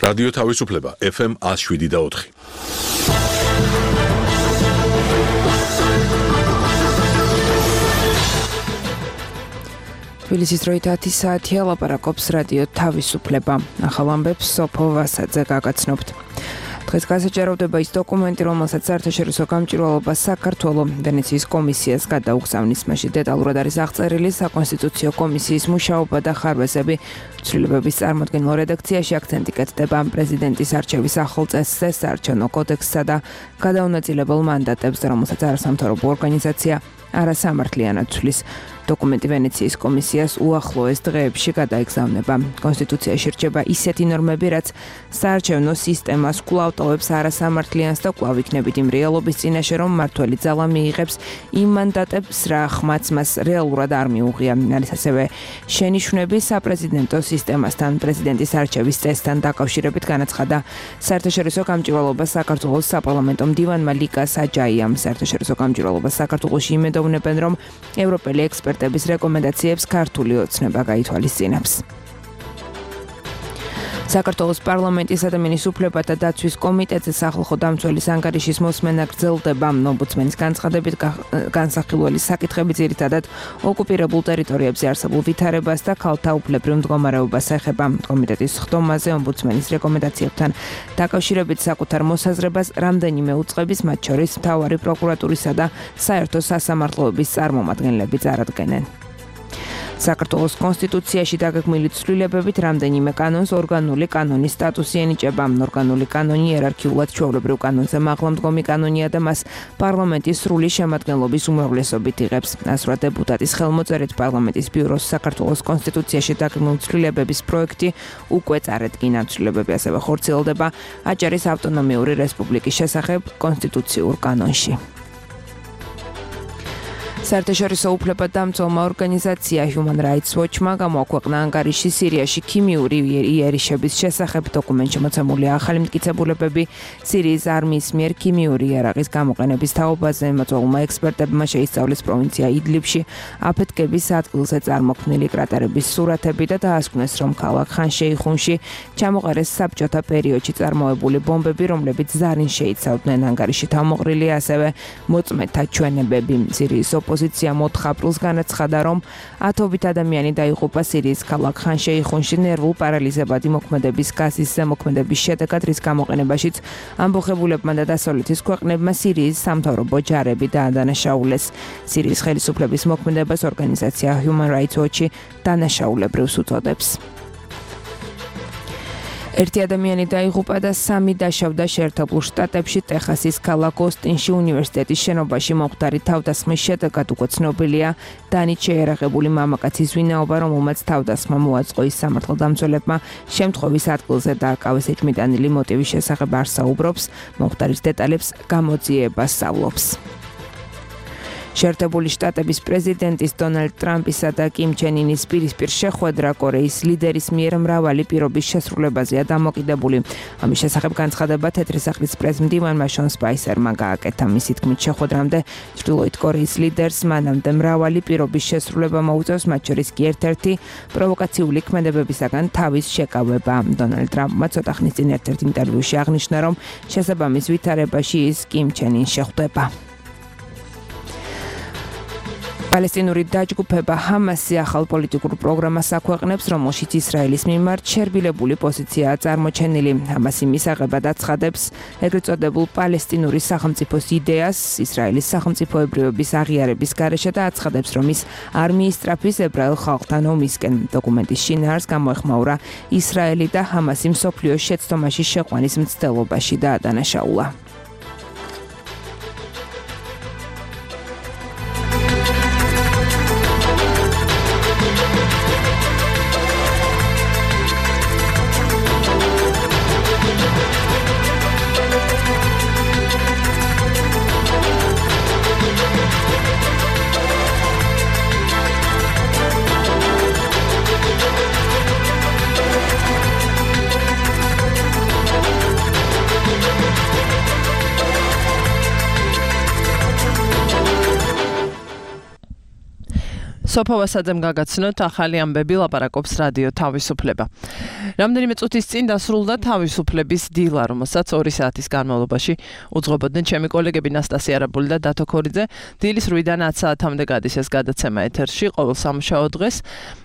რადიო თავისუფლება FM 107.4. თბილისის დროით 10 საათია, ლაპარაკობს რადიო თავისუფლება. ახალ ამბებს სოფო ვასაძე გაგაცნობთ. დღეს გასაჯაროვდება ის დოკუმენტი, რომელსაც საერთაშორისო გამჭვირვალობა საქართველოს ვენეციის კომისიას გადაუგზავნის. მასში დეტალურად არის აღწერილი საკონსტიტუციო კომისიის მუშაობა და ხარვეზები. ცვლილებების წარმოდგენილ რედაქციაში აქცენტი კეთდება პრეზიდენტის არჩევის ახალ წესზე, საარჩევნო კოდექსსა და გადაუნაწილებელ მანდატებზე, რომელსაც არასამთავრობო ორგანიზაცია არასამართლიანად ცვლის. დოკუმენტი ვენეციის კომისიას უახლოეს დღეებში გადაეგზავნება. კონსტიტუციაში რჩება ისეთი ნორმები, რაც საარჩევნო სისტემას კვლავ ტოვებს არასამართლიანს და კვლავ იქნებით იმ რეალობის წინაშე, რომ მმართველი ძალა მიიღებს იმ მანდატებს, რა ხმაც მას რეალურად არ მიუღია. არის ასევე შენიშვნები საპრეზიდენტო სისტემასთან, პრეზიდენტის არჩევის წესთან დაკავშირებით, განაცხადა საერთაშორისო გამჭვირვალობა საქართველოს საპარლამენტო მდივანმა ლიკა საჯაიამ. საერთაშორისო გამჭვირვალობა საქართველოში იმედოვნებენ, რომ ევროპელი ექსპერტების რეკომენდაციებს ქართული ოცნება გაითვალისწინებს. საქართველოს პარლამენტის ადამიანის უფლებათა დაცვის კომიტეტზე სახალხო დამცველის ანგარიშის მოსმენა გრძელდება. ომბუდსმენის განცხადებით განსახილველი საკითხები ძირითადად ოკუპირებულ ტერიტორიებზე არსებულ ვითარებას და ქალთა უფლებრივ მდგომარეობას ეხება. კომიტეტის ხდომაზე ომბუდსმენის რეკომენდაციებთან დაკავშირებით საკუთარ მოსაზრებას რამდენიმე უწყების, მათ შორის მთავარი პროკურატურისა და საერთო სასამართლოების წარმომადგენლები წარადგენენ. საქართველოს კონსტიტუციაში დაგეგმილი ცვლილებებით რამდენიმე კანონს ორგანული კანონის სტატუსი ენიჭება. ორგანული კანონი იერარქიულად ჩვეულებრივ კანონზე მაღლა მდგომი კანონია და მას პარლამენტის სრული შემადგენლობის უმრავლესობით იღებს. ასურა დეპუტატის ხელმოწერით პარლამენტის ბიუროს საქართველოს კონსტიტუციაში დაგეგმილი ცვლილებების პროექტი უკვე წარედგინა. ცვლილებები ასევე ხორციელდება აჭარის ავტონომიური რესპუბლიკის შესახებ კონსტიტუციურ კანონში. საერთაშორისო უფლებადამცველმა ორგანიზაცია Human Rights Watch-მა გამოაქვეყნა ანგარიში სირიაში ქიმიური იერიშების შესახებ. დოკუმენტში მოცემულია ახალი მტკიცებულებები სირიის არმიის მიერ ქიმიური იარაღის გამოყენების თაობაზე. მოწვეულმა ექსპერტებმა შეისწავლეს პროვინცია იდლიბში აფეთქების ადგილზე წარმოქმნილი კრატერების სურათები და დაასკვნეს, რომ ქალაქ ხან-შეიხუნში ჩამოყარეს საბჭოთა პერიოდში წარმოებული ბომბები, რომლებიც ზარინ შეიცავდნენ. ანგარიში თავმოყრილია ასევე მოწმეთა ჩვენებები. სირიის ოპოზიცია 4 აპრილს განაცხადა, რომ ათობით ადამიანი დაიღუპა სირიის ქალაქ ხან-შეიხუნში ნერვულ პარალიზებადი მოქმედების გაზის ზემოქმედების შედეგად, რის გამოყენებაშიც ამბოხებულებმა და დასავლეთის ქვეყნებმა სირიის სამთავრობო ჯარები დაადანაშაულეს. სირიის ხელისუფლების მოქმედებას ორგანიზაცია Human Rights Watch დანაშაულებრივს უწოდებს. ერთი ადამიანი დაიღუპა და 3 დაშავდა შეერთებულ შტატებში ტეხასის ქალაქ ოსტინში უნივერსიტეტის შენობაში მომხდარი თავდასხმის შედეგად. უკვე ცნობილია დანით შეიარაღებული მამაკაცის ვინაობა, რომელმაც თავდასხმა მოაწყო. ის სამართალდამცველებმა შემთხვევის ადგილზე დააკავეს. ეჭვმიტანილი მოტივის შესახებ არ საუბრობს, მომხდარის დეტალებს გამოძიება სწავლობს. შეერთებული შტატების პრეზიდენტის დონალდ ტრამპისა და კიმ ჩენ ინის პირისპირ შეხვედრა კორეის ლიდერის მიერ მრავალი პირობის შესრულებაზეა დამოკიდებული. ამის შესახებ განცხადება თეთრი სახლის პრეზიდენტმა შონ სპაისერმა გააკეთა. მისი თქმით, შეხვედრამდე ჩრდილოეთ კორეის ლიდერს მანამდე მრავალი პირობის შესრულება მოუწევს, მათ შორის კი ერთ-ერთი პროვოკაციული ქმედებებისაგან თავის შეკავება. დონალდ ტრამპმა ცოტა ხნის წინ ერთ-ერთ ინტერვიუში აღნიშნა, რომ შესაბამის ვითარებაში ის კიმ ჩენ ინს შეხვდება. პალესტინური დაჯგუფება ჰამასი ახალ პოლიტიკურ პროგრამას აქვეყნებს, რომელშიც ისრაელის მიმართ შერბილებული პოზიციაა წარმოჩენილი. ჰამასი მისაღებად აცხადებს ეგრეთ წოდებულ პალესტინური სახელმწიფოს იდეას ისრაელის სახელმწიფოებრიობის აღიარების გარეშე და აცხადებს, რომ ის არმიის სწრაფის ებრაელ ხალხთან ომისკენ. დოკუმენტის შინაარს გამოეხმაურა ისრაელი და ჰამასი მსოფლიოს შეცდომაში შეყვანის მცდელობაში დაადანაშაულა. სოფო ვასაძემ გაგაცნოთ ახალი ამბები ლაპარაკობს რადიო თავისუფლება. რამდენიმე წუთის წინ დასრულდა თავისუფლების დილა, რომელსაც 2 საათის განმავლობაში უძღვებოდნენ ჩემი კოლეგები ნასტასია არაბული და დათო ქორიძე. დილის 8-დან 10 საათამდე გადის ეს გადაცემა ეთერში ყოველ სამუშაო დღეს.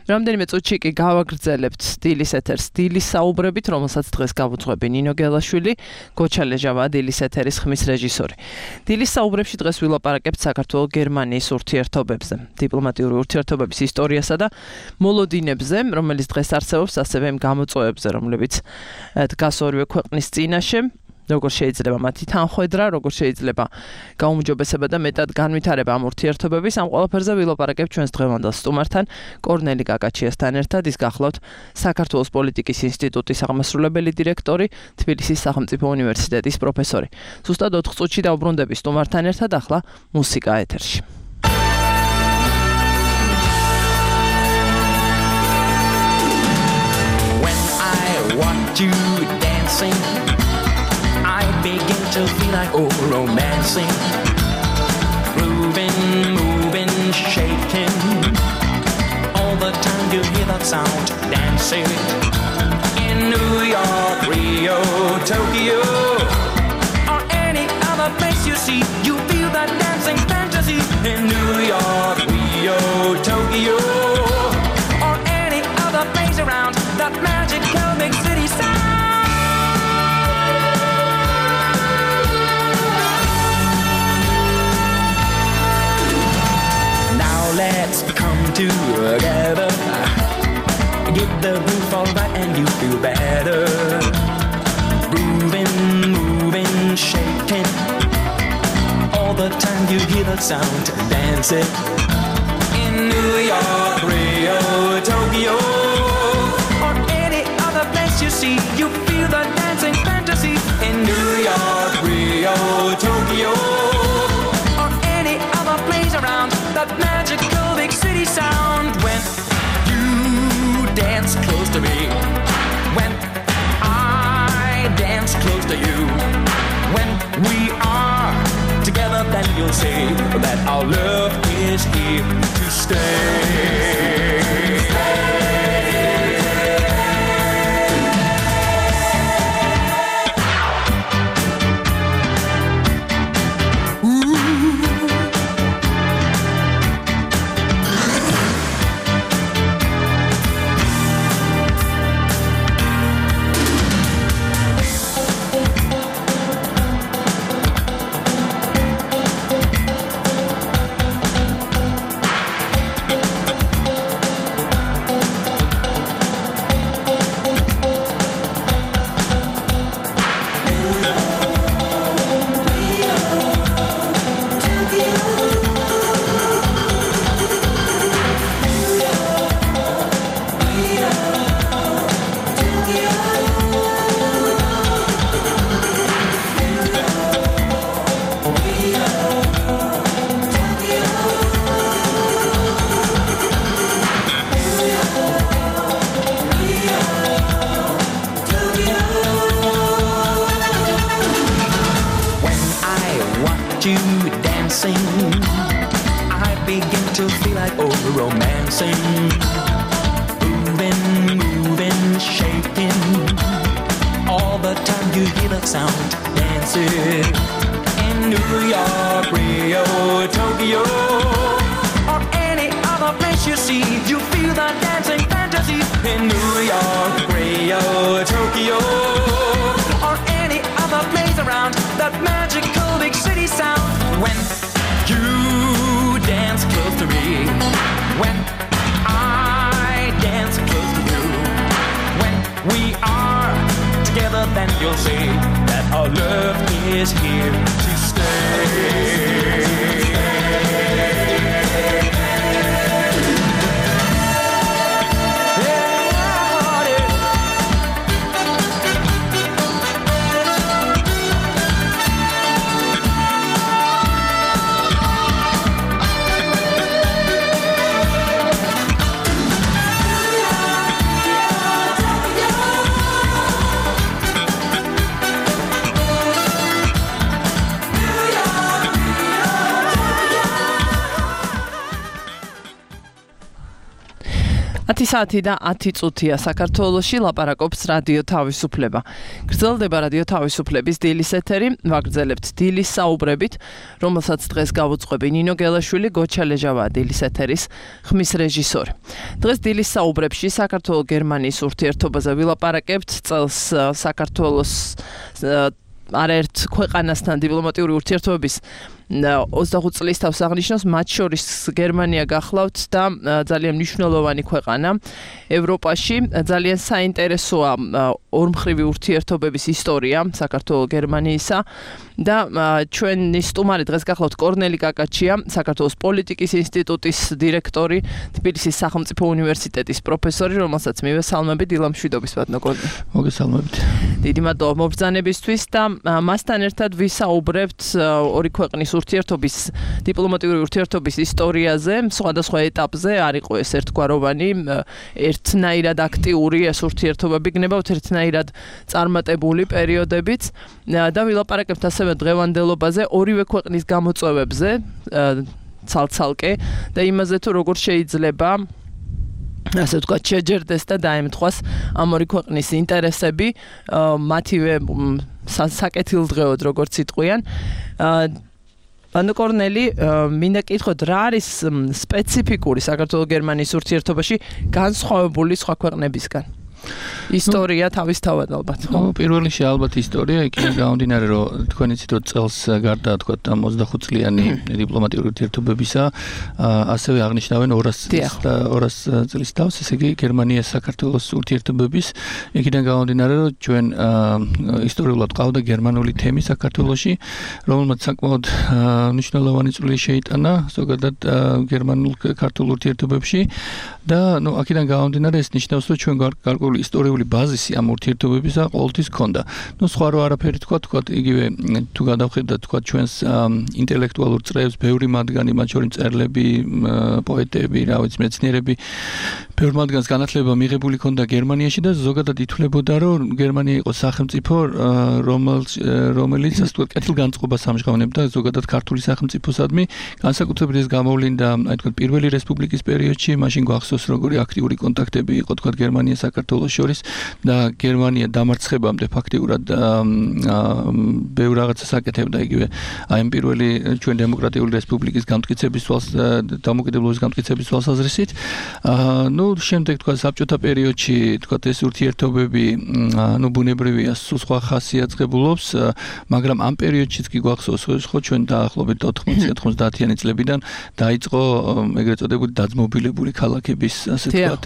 რამდენიმე წუთში კი გავაგრძელებთ დილის ეთერს დილის საუბრებით, რომელსაც დღეს გავუძღვები ნინო გელაშვილი, გოჩა ლეჟავა დილის ეთერის ხმის რეჟისორი. დილის საუბრებში დღეს ვილაპარაკებთ საქართველოს-გერმანიის ურთიერთობებზე, დიპლომატიური ურთიერთობების ისტორიასა და მოლოდინებზე, რომელიც დღეს არსებობს, ასევე იმ გამოწვევებზე, რომლებიც დგას ორივე ქვეყნის წინაშე. როგორ შეიძლება მათი თანხვედრა, როგორ შეიძლება გაუმჯობესება და მეტად განვითარება ამ ურთიერთობების, ამ ყველაფერზე ვილაპარაკებთ ჩვენს დღევანდელ სტუმართან, კორნელი გაკაჩიასთან ერთად. ის გახლავთ საქართველოს პოლიტიკის ინსტიტუტის აღმასრულებელი დირექტორი, თბილისის სახელმწიფო უნივერსიტეტის პროფესორი. ზუსტად 4 წუთში დავბრუნდები სტუმართან ერთად, ახლა მუსიკა ეთერში. When I watch you dancing, I begin to feel like romancing, grooving, moving, shaking. All the time you hear that sound, dancing. In New York, Rio, Tokyo, or any other place you see, you feel that dancing fantasy. In New York, Rio, Tokyo, or any other place around, that magical big city sound. Let's come together, get the groove all right and you feel better. Grooving, moving, shaking, all the time you hear the sound, dancing. In New York, Rio, Tokyo, or any other place you see, you feel the dancing fantasy. In New York, Rio, Tokyo, or any other place around, that magical big city sound. When you dance close to me, when I dance close to you, when we are together, then you'll see that our love is here to stay. I begin to feel like romancing, moving, moving, shaking. All the time you hear that sound, dancing. In New York, Rio, Tokyo, or any other place you see, you feel that dancing fantasy. In New York, Rio, Tokyo, or any other place around, that magical big city sound. When you dance close to me, when I dance close to you, when we are together, then you'll see that our love is here to stay. 10 საათი და 10 წუთია საქართველოში ლაპარაკობს რადიო თავისუფლება. გრძელდება რადიო თავისუფლების დილის ეთერი, ვაგრძელებთ დილის საუბრებით, რომელსაც დღეს გავუძღვები ნინო გელაშვილი, გოჩა ლეჟავა დილის ეთერის ხმის რეჟისორი. დღეს დილის საუბრებში საქართველო-გერმანიის ურთიერთობაზე ვილაპარაკებთ, წელს საქართველოს არაერთ ქვეყანასთან დიპლომატიური ურთიერთობების 25 წლის თავს აღნიშნავს, მათ შორის გერმანია გახლავთ და ძალიან მნიშვნელოვანი ქვეყანა ევროპაში. ძალიან საინტერესოა ორმხრივი ურთიერთობების ისტორია საქართველო-გერმანიისა და ჩვენი სტუმარი დღეს გახლავთ კორნელი კაკაჩია, საქართველოს პოლიტიკის ინსტიტუტის დირექტორი, თბილისის სახელმწიფო უნივერსიტეტის პროფესორი, რომელსაც მივესალმები დილამშვიდობის ბატონო კორნელი. მოგესალმებით. დიდი მადლობა მობრძანებისთვის და მასთან ერთად ვისაუბრებთ ორი ქვეყნის ურთიერთობის დიპლომატიური ურთიერთობის ისტორიაზე, სხვადასხვა ეტაპზე არ იყო ეს ერთგვაროვანი, ერთნაირად აქტიური ეს ურთიერთობები გნებავთ, ერთნაირად წარმატებული პერიოდებიც და ვილაპარაკებთ ასევე დღევანდელობაზე, ორივე ქვეყნის გამოწვევებზე ცალ-ცალკე და იმაზე თუ როგორ შეიძლება ასე ვთქვათ შეჯერდეს და დაემთხვას ამ ორი ქვეყნის ინტერესები, მათივე საკეთილდღეოდ როგორც იტყვიან. ბატონო კორნელი, მინდა კითხოთ, რა არის სპეციფიკური საქართველო-გერმანიის ურთიერთობაში განსხვავებული სხვა ქვეყნებისგან? ისტორია თავისთავად ალბათ. პირველი ალბათ ისტორია, იქიდან გამომდინარე, რომ თქვენ იცით, რომ წელს გარდა თქვათ ამ 25 წლიანი დიპლომატიური ურთიერთობებისა, ასევე აღნიშნავენ 200 წლის თავს, ესე იგი გერმანია საქართველოს ურთიერთობების, იქიდან გამომდინარე, რომ ჩვენ ისტორიულად ყავდა გერმანული თემი საქართველოში, რომელმაც საკმაოდ მნიშვნელოვანი წვლილი შეიტანა ზოგადად გერმანულ-ქართულ ურთიერთობებში და აქედან გამომდინარე ეს ნიშნავს, რომ ჩვენ გარკვეული ისტორიული ბაზისი ამ ურთიერთობებისა ყოველთვის ჰქონდა. სხვა რო არაფერი თქვა, იგივე თუ გადავხედათ თქვა ჩვენს ინტელექტუალურ წრეებს, ბევრი მათგანი, მათ შორის მწერლები, პოეტები, მეცნიერები, ბევრ მათგანს განათლება მიღებული ჰქონდა გერმანიაში და ზოგადად ითვლებოდა, რომ გერმანია იყო სახელმწიფო, რომელიც ასე ვთქვათ, კეთილგანწყობას ამჟღავნებდა ზოგადად ქართული სახელმწიფოსადმი, განსაკუთრებით ეს გამოვლინდა, აი თქვათ, პირველი რესპუბლიკის პერიოდში, მაშინ გვახსოვს, როგორი აქტიური კონტაქტები იყო თქვათ გერმანიას საქართველოს შორის და გერმანია დამარცხებამდე ფაქტიურად ბევრ რაღაცას აკეთებდა იგივე აი ამ პირველი ჩვენ დემოკრატიული რესპუბლიკის გამტკიცების თვალს დამოუკიდებლობის გამტკიცების თვალსაზრისით. შემდეგ თქვა საბჭოთა პერიოდში თქვა ეს ურთიერთობები ბუნებრივია სულ სხვა ხასი აწყებულობს, მაგრამ ამ პერიოდშიც კი გვახსოვს, ხო ჩვენ დაახლოებით 90-90-იანი წლებიდან დაიწყო ეგრეთ წოდებული დაძმობილებული ქალაქების ასე ვთქვათ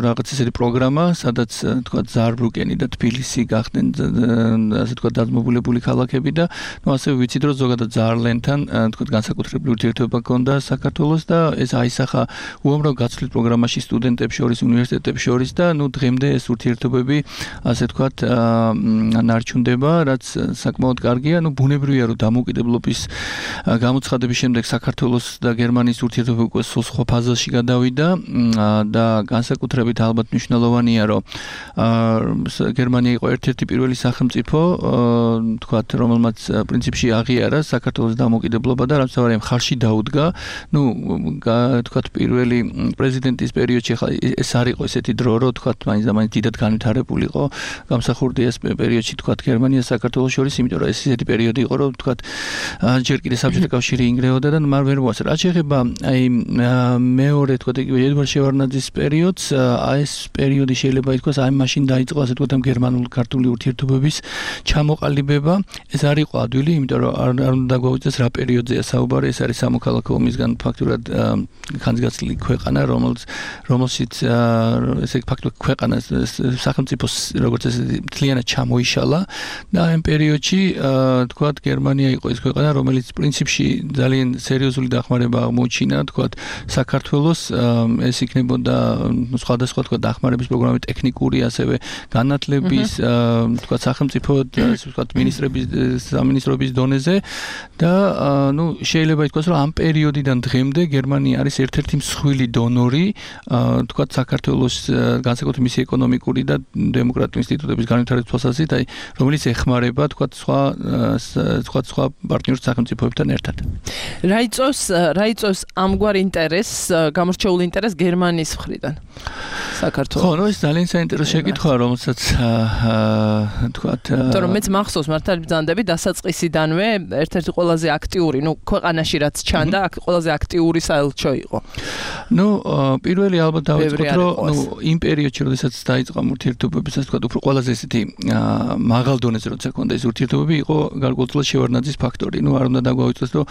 რაღაც ესეთი პროგრამა, სადაც თქვა ზაარბრუკენი და თბილისი გახდნენ ასე თქვა დაძმობილებული ქალაქები და ასევე ვიცით, რომ ზოგადად ზაარლენთან თქვა განსაკუთრებული ურთიერთობა ჰქონდა საქართველოს და ეს აისახა უამრავ გაცვლით პროგრამაში სტუდენტებს შორის, უნივერსიტეტებს შორის და დღემდე ეს ურთიერთობები ასე თქვა ნარჩუნდება, რაც საკმაოდ კარგია. ბუნებრივია, რომ დამოუკიდებლობის გამოცხადების შემდეგ საქართველოს და გერმანიის ურთიერთობა უკვე სხვა ფაზაში გადავიდა და განსაკუთრებით ალბათ მნიშვნელოვანია, რომ გერმანია იყო ერთ-ერთი პირველი სახელმწიფო, თქვათ, რომელმაც პრინციპში აღიარა საქართველოს დამოუკიდებლობა და რამსავარია მხარში დაუდგა. თქვათ, პირველი პრეზიდენტის პერიოდში ეს არ იყო ესეთი დრო, რომ თქვათ, მაინც დიდად განვითარებული იყო გამსახურდია ეს პერიოდში თქვათ გერმანია საქართველოს შორის, იმიტომ რომ ეს ესეთი პერიოდი იყო, რომ თქვათ ჯერ კიდე საბჭოთა კავშირი ინგრეოდა და მარ ვერ მოასწრა. რაც შეეხება აი მეორე თქვათ იგივე ედვარდ შევარდნაძის პერიოდს, ეს პერიოდი შეიძლება ითქვას, აი მაშინ დაიწყო ასე თქვათ ამ გერმანულ-ქართული ურთიერთობების ჩამოყალიბება. ეს არ იყო ადვილი, იმიტომ რომ არ უნდა გვაუწყდეს რა პერიოდზეა საუბარი, ეს არის სამოქალაქო ომისგან ფაქტურად ხანძგაცლილი ქვეყანა, რომელშიც ესე ფაქტურად ქვეყანა სახელმწიფოს როგორც ესეთი მთლიანად ჩამოიშალა და ამ პერიოდში თქვათ გერმანია იყო ის ქვეყანა, რომელიც პრინციპში ძალიან სერიოზული დახმარება აღმოჩინა თქვათ საქართველოს, ეს იქნებოდა სხვადასხვა თქვა დახმარების პროგრამები, ტექნიკური ასევე განათლების, თქვა სახელმწიფო, თქვა სამინისტროების დონეზე და შეიძლება ითქვას, რომ ამ პერიოდიდან დღემდე გერმანია არის ერთ-ერთი მსხვილი დონორი, თქვა საქართველოს განსაკუთრებით მისი ეკონომიკური და დემოკრატიული ინსტიტუტების განვითარების თვალსაზრისით, რომელიც ეხმარება თქვა სხვა პარტნიორ სახელმწიფოებთან ერთად. რა იწვევს ამგვარ ინტერესს, გამორჩეულ ინტერესს გერმანიის მხრიდან საქართველოს? ხო, ეს ძალიან საინტერესო შეკითხვაა, რომელსაც თქვა თორემ მეც მახსოვს მართალი ბრძანდები დასაწყისიდანვე ერთ-ერთი ყველაზე აქტიური, ქვეყანაში რაც ჩანდა, ყველაზე აქტიური საელჩო იყო. პირველი ალბათ დავიწყოთ, რომ იმ პერიოდში, როდესაც დაიწყო ურთიერთობებიც, ასე ვთქვათ, უფრო ყველაზე ესეთი მაღალ დონეზე როცა ქონდა ეს ურთიერთობები, იყო გარკვეულწილად შევარდნაძის ფაქტორი. არ უნდა დაგვაუწყდეს, რომ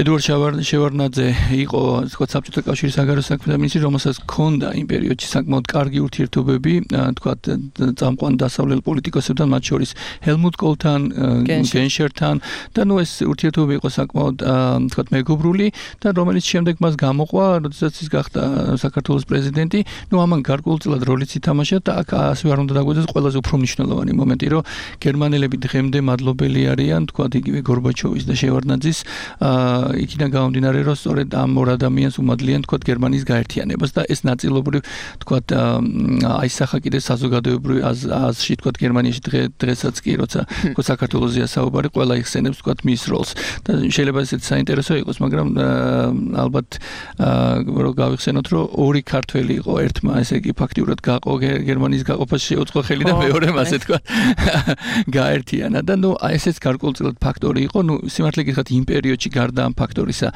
ედუარდ შევარდნაძე იყო, ასე ვთქვათ, საბჭოთა კავშირის საგარეო საქმეთა მინისტრი, რომელსაც ქონდა იმ პერიოდში საკმაოდ კარგი ურთიერთობები, თქვათ, წამყვან დასავლელ პოლიტიკოსებთან, მათ შორის ჰელმუტ კოლთან, გენშერთან და ეს ურთიერთობები იყო საკმაოდ, თქვათ, მეგობრული და რომელიც შემდეგ მას გამოყვა, როდესაც ის გახდა საქართველოს პრეზიდენტი, ამან გარკვეულწილად როლიც ითამაშა და აქ ასე არ უნდა დაგვეცეს ყველაზე უფრო მნიშვნელოვანი მომენტი, რომ გერმანელები დღემდე მადლობელი არიან, თქვათ, იგივე გორბაჩოვის და შევარდნაძის, იქიდან გამომდინარე, რომ სწორედ ამ ორ ადამიანს უმადლიან, თქვათ, გერმანიის გაერთიანებას და ეს ნაწილობრივ, თქვათ, აისახა კიდე საზოგადოებრივ აზრში, თქვათ, გერმანიაში დღესაც კი, როცა საქართველოსია საუბარი, ყველა იხსენებს, თქვათ, მის როლს. და შეიძლება ესეც საინტერესო იყოს, მაგრამ ალბათ რომ გავიხსენოთ, რომ ორი ქართველი იყო, ერთმა ესე იგი ფაქტიურად გაყო გერმანიის გაყოფაში შეუწყო ხელი და მეორემ ასე თქვა გაერთიანა და ესეც გარკვეულწილად ფაქტორი იყო, სიმართლე გითხრათ იმ პერიოდში გარდა ამ ფაქტორისა,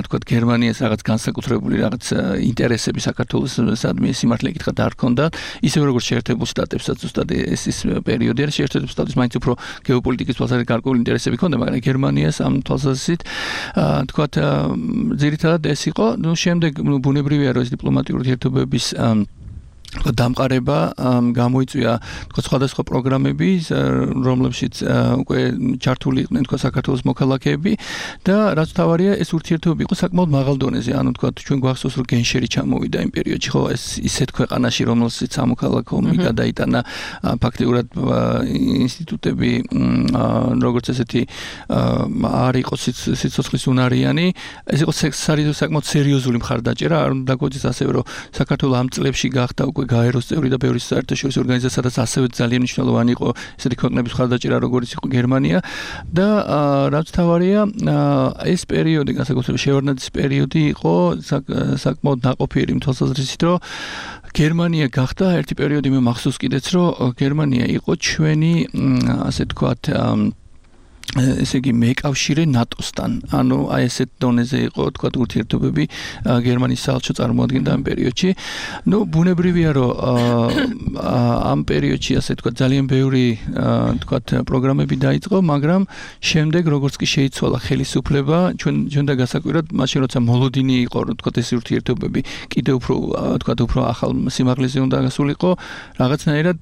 თქვა გერმანიას რაღაც განსაკუთრებული რაღაც ინტერესები საქართველოსადმი სიმართლე გითხრათ არ ჰქონდა, ისევე როგორც შეერთებულ შტატებსაც ზუსტად ეს პერიოდი არის, შეერთებულ შტატებს მაინც უფრო გეოპოლიტიკის თვალსაზრისით გარკვეული ინტერესები ჰქონდა, მაგრამ გერმანიას ამ თვალსაზრისით თქვა ძირითადად ეს იყო, შემდეგ ბუნებრივია რომ ეს დიპლომატიური ურთიერთობების დამყარება გამოიწვია თქვა სხვადასხვა პროგრამები, რომლებშიც უკვე ჩართული იყვნენ თქვა საქართველოს მოქალაქეები და რაც თავარია ეს ურთიერთობები იყო საკმაოდ მაღალ დონეზე. ანუ თქვა ჩვენ გვახსოვს რომ გენშერი ჩამოვიდა იმ პერიოდში, ხო, ეს ისეთ ქვეყანაში, რომელსაც სამოქალაქო ომი გადაიტანა, ფაქტიურად ინსტიტუტები როგორც ესეთი არ იყო სიცოცხლის უნარიანი, ეს იყო საკმაოდ სერიოზული მხარდაჭერა. არ უნდა დაგვეცეს ასევე რომ საქართველოს ამ წლებში გახდა უკვე გაეროს წევრი და ბევრი საერთაშორისო ორგანიზაცია, სადაც ასევე ძალიან მნიშვნელოვანი იყო ესეთი ქვეყნების მხარდაჭერა, როგორც იყო გერმანია და რაც თავარია, ეს პერიოდი, განსაკუთრებით შევარდნაძის პერიოდი იყო საკმაოდ ნაყოფიერი იმ თვალსაზრისით, რომ გერმანია გახდა ერთი პერიოდი მე მახსოვს კიდეც, რომ გერმანია იყო ჩვენი, ასე თქვათ, ესე იგი მეკავშირე ნატოსთან. ანუ აი ესეთ დონეზე იყო თქვა ურთიერთობები გერმანიის საელჩო წარმოადგენდა ამ პერიოდში. ბუნებრივია რომ ამ პერიოდში ასე თქვა ძალიან ბევრი თქვა პროგრამები დაიწყო, მაგრამ შემდეგ როგორც კი შეიცვალა ხელისუფლება, ჩვენ და გასაკვირად მაშინ როცა მოლოდინი იყო, თქვა ეს ურთიერთობები კიდევ უფრო ახალ სიმაღლეზე უნდა გასულიყო, რაღაცნაირად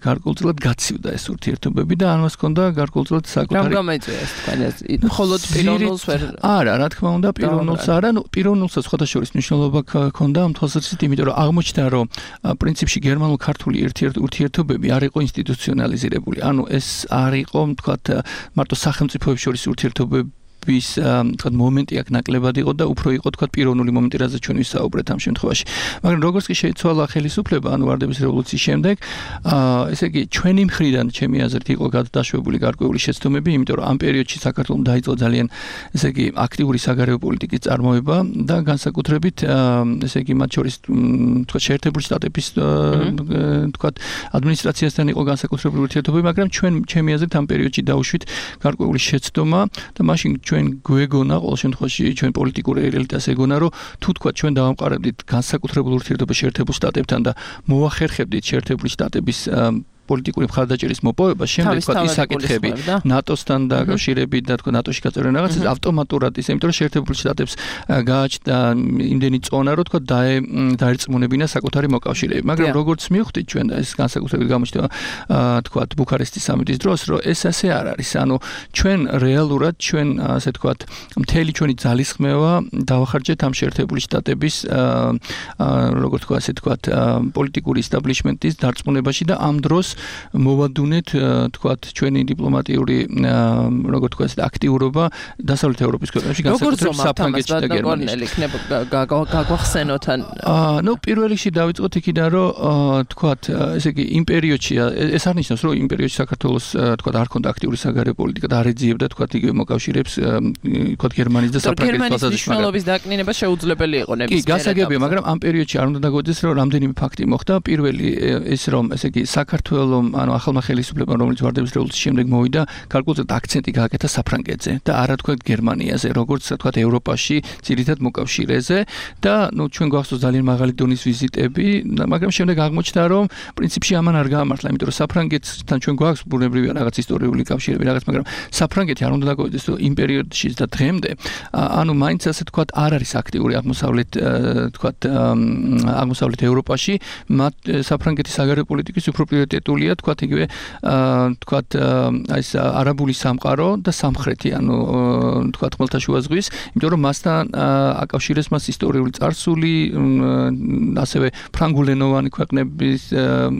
გარკვეულწილად გაცივდა ეს ურთიერთობები და ამას ჰქონდა გარკვეულწილად საკუთარი მხოლოდ პიროვნულს ვერ არა, რა თქმა უნდა, პიროვნულს არა, პიროვნულსაც სხვადასხვა მნიშვნელობა ჰქონდა ამ თვალსაზრისით, იმიტომ რომ აღმოჩნდა, რომ პრინციპში გერმანულ-ქართული ურთიერთობები არ იყო ინსტიტუციონალიზირებული. ანუ ეს არ იყო, თქვათ, მარტო სახელმწიფოებს შორის ურთიერთობები თქვა მომენტი აქ ნაკლებად იყო და უფრო იყო თქვა პიროვნული მომენტი, რაზეც ჩვენ ვისაუბრეთ ამ შემთხვევაში. მაგრამ როგორც კი შეიცვალა ხელისუფლება, ანუ ვარდების რევოლუციის შემდეგ, ესე იგი ჩვენი მხრიდან, ჩემი აზრით, იყო გადაშვებული გარკვეული შეცდომები, იმიტომ რომ ამ პერიოდში საქართველოს დაიწყო ძალიან, ესე იგი, აქტიური საგარეო პოლიტიკის წარმოება და განსაკუთრებით, ესე იგი, მათ შორის თქვა შეერთებული შტატების თქვა ადმინისტრაციასთან იყო განსაკუთრებული ურთიერთობები, მაგრამ ჩემი აზრით ამ პერიოდში დაუშვით გარკვეული შეცდომა და მაშინ ჩვენ გვეგონა ყოველ შემთხვევაში ჩვენ პოლიტიკური ელიტას ეგონა რომ თუ თქვა ჩვენ დავამყარებდით განსაკუთრებულ ურთიერთობას შეერთებულ შტატებთან და მოახერხებდით შეერთებული შტატების პოლიტიკური მხარდაჭერის მოპოვება, შემდეგ თქვა ის საკითხები ნატოსთან დაკავშირებით და თქვა ნატოში გაწევრენ რაღაცას ავტომატურად ის, იმიტომ რომ შეერთებულ შტატებს გააჩნდა იმდენი წონა, რომ თქვა დაერწმუნებინა საკუთარი მოკავშირეები. მაგრამ როგორც მივხვდით ჩვენ და ეს განსაკუთრებით გამოჩნდა თქვა ბუქარესტის სამიტის დროს, რომ ეს ასე არ არის. ანუ ჩვენ რეალურად ჩვენ ასე თქვა მთელი ჩვენი ძალისხმევა დავახარჯეთ ამ შეერთებული შტატების როგორც თქვა ასე თქვა პოლიტიკური establishment-ის დარწმუნებაში და ამ დროს მოვადუნეთ თქვა ჩვენი დიპლომატიური როგორც თქვა ეს აქტიურობა დასავლეთ ევროპის ქვეყნებში განსაკუთრებით საფრანგეთში და გერმანიაში. გაგვახსენოთ ან ნუ პირველ რიგში დავიწყოთ იქიდან რომ თქვა ესე იგი იმ პერიოდში ეს არ ნიშნავს რომ იმ პერიოდში საქართველოს თქვა არ ქონდა აქტიური საგარეო პოლიტიკა და არ ეძიებდა თქვა იგივე მოკავშირეებს თქვა გერმანიის და საფრანგეთის მნიშვნელობის დაკნინება შეუძლებელი იყო ნებისმიერ. კი, გასაგებია, მაგრამ ამ პერიოდში არ უნდა დაგვეძებს რომ რამდენიმე ფაქტი მოხდა. პირველი ის რომ ესე იგი საქართველოს ანუ ახალმა ხელისუფლებამ რომელიც ვარდების რევოლუციის შემდეგ მოვიდა, გარკვეულწილად აქცენტი გააკეთა საფრანგეთზე და არა თქვა გერმანიაზე, როგორც თქვა ევროპაში ძირითად მოკავშირეზე და ნუ ჩვენ გვახსოვს ძალიან მაღალი დონის ვიზიტები, მაგრამ შემდეგ აღმოჩნდა რომ პრინციპში ამან არ გაამართლა, იმიტომ რომ საფრანგეთთან ჩვენ გვაქვს ბუნებრივია რაღაც ისტორიული კავშირები რაღაც, მაგრამ საფრანგეთი არ უნდა დაგვეძებს რომ იმ პერიოდში და დღემდე ანუ მაინც ასე თქვა არ არის აქტიური აღმოსავლეთ თქვა აღმოსავლეთ ევროპაში, მათ საფრანგეთის საგარეო პოლიტიკის უფრო პრიორიტეტულია თქვა იგივე თქვა ეს არაბული სამყარო და სამხრეთი, ანუ თქვა ხმელთაშუა ზღვის, იმიტომ რომ მასთან აკავშირეს მას ისტორიული წარსული, ასევე ფრანგულენოვანი ქვეყნების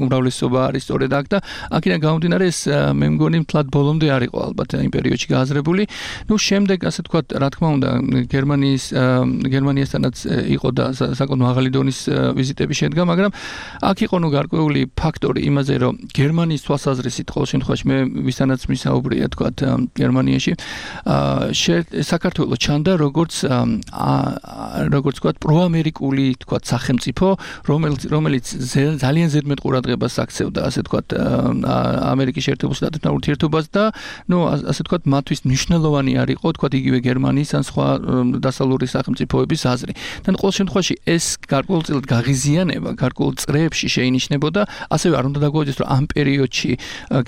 უმრავლესობა არის სწორედ აქ და აქედან გამომდინარე ეს მე მგონი მთლად ბოლომდე არ იყო ალბათ იმ პერიოდში გააზრებული. ნუ შემდეგ ასე თქვა რა თქმა უნდა გერმანიასთანაც იყო და საკმაოდ მაღალი დონის ვიზიტები შედგა, მაგრამ აქ იყო ნუ გარკვეული ფაქტორი იმაზე, რომ გერმანიის თვალსაზრისით ყოველ შემთხვევაში მე ვისთანაც მისაუბრია თქვა გერმანიაში საქართველოს ჩანდა როგორც თქვა პროამერიკული თქვა სახელმწიფო, რომელიც ძალიან ზედმეტ ყურადღებას აქცევდა ასე თქვა ამერიკის შეერთებულ შტატებთან ურთიერთობას და ნუ ასე თქვა მათთვის მნიშვნელოვანი არ იყო თქვა იგივე გერმანიის ან სხვა დასავლური სახელმწიფოების აზრი. და ყოველ შემთხვევაში ეს გარკვეულწილად გაღიზიანება გარკვეულ წრეებში შეინიშნებოდა, ასევე არ უნდა დაგვეძებს რომ ამ პერიოდში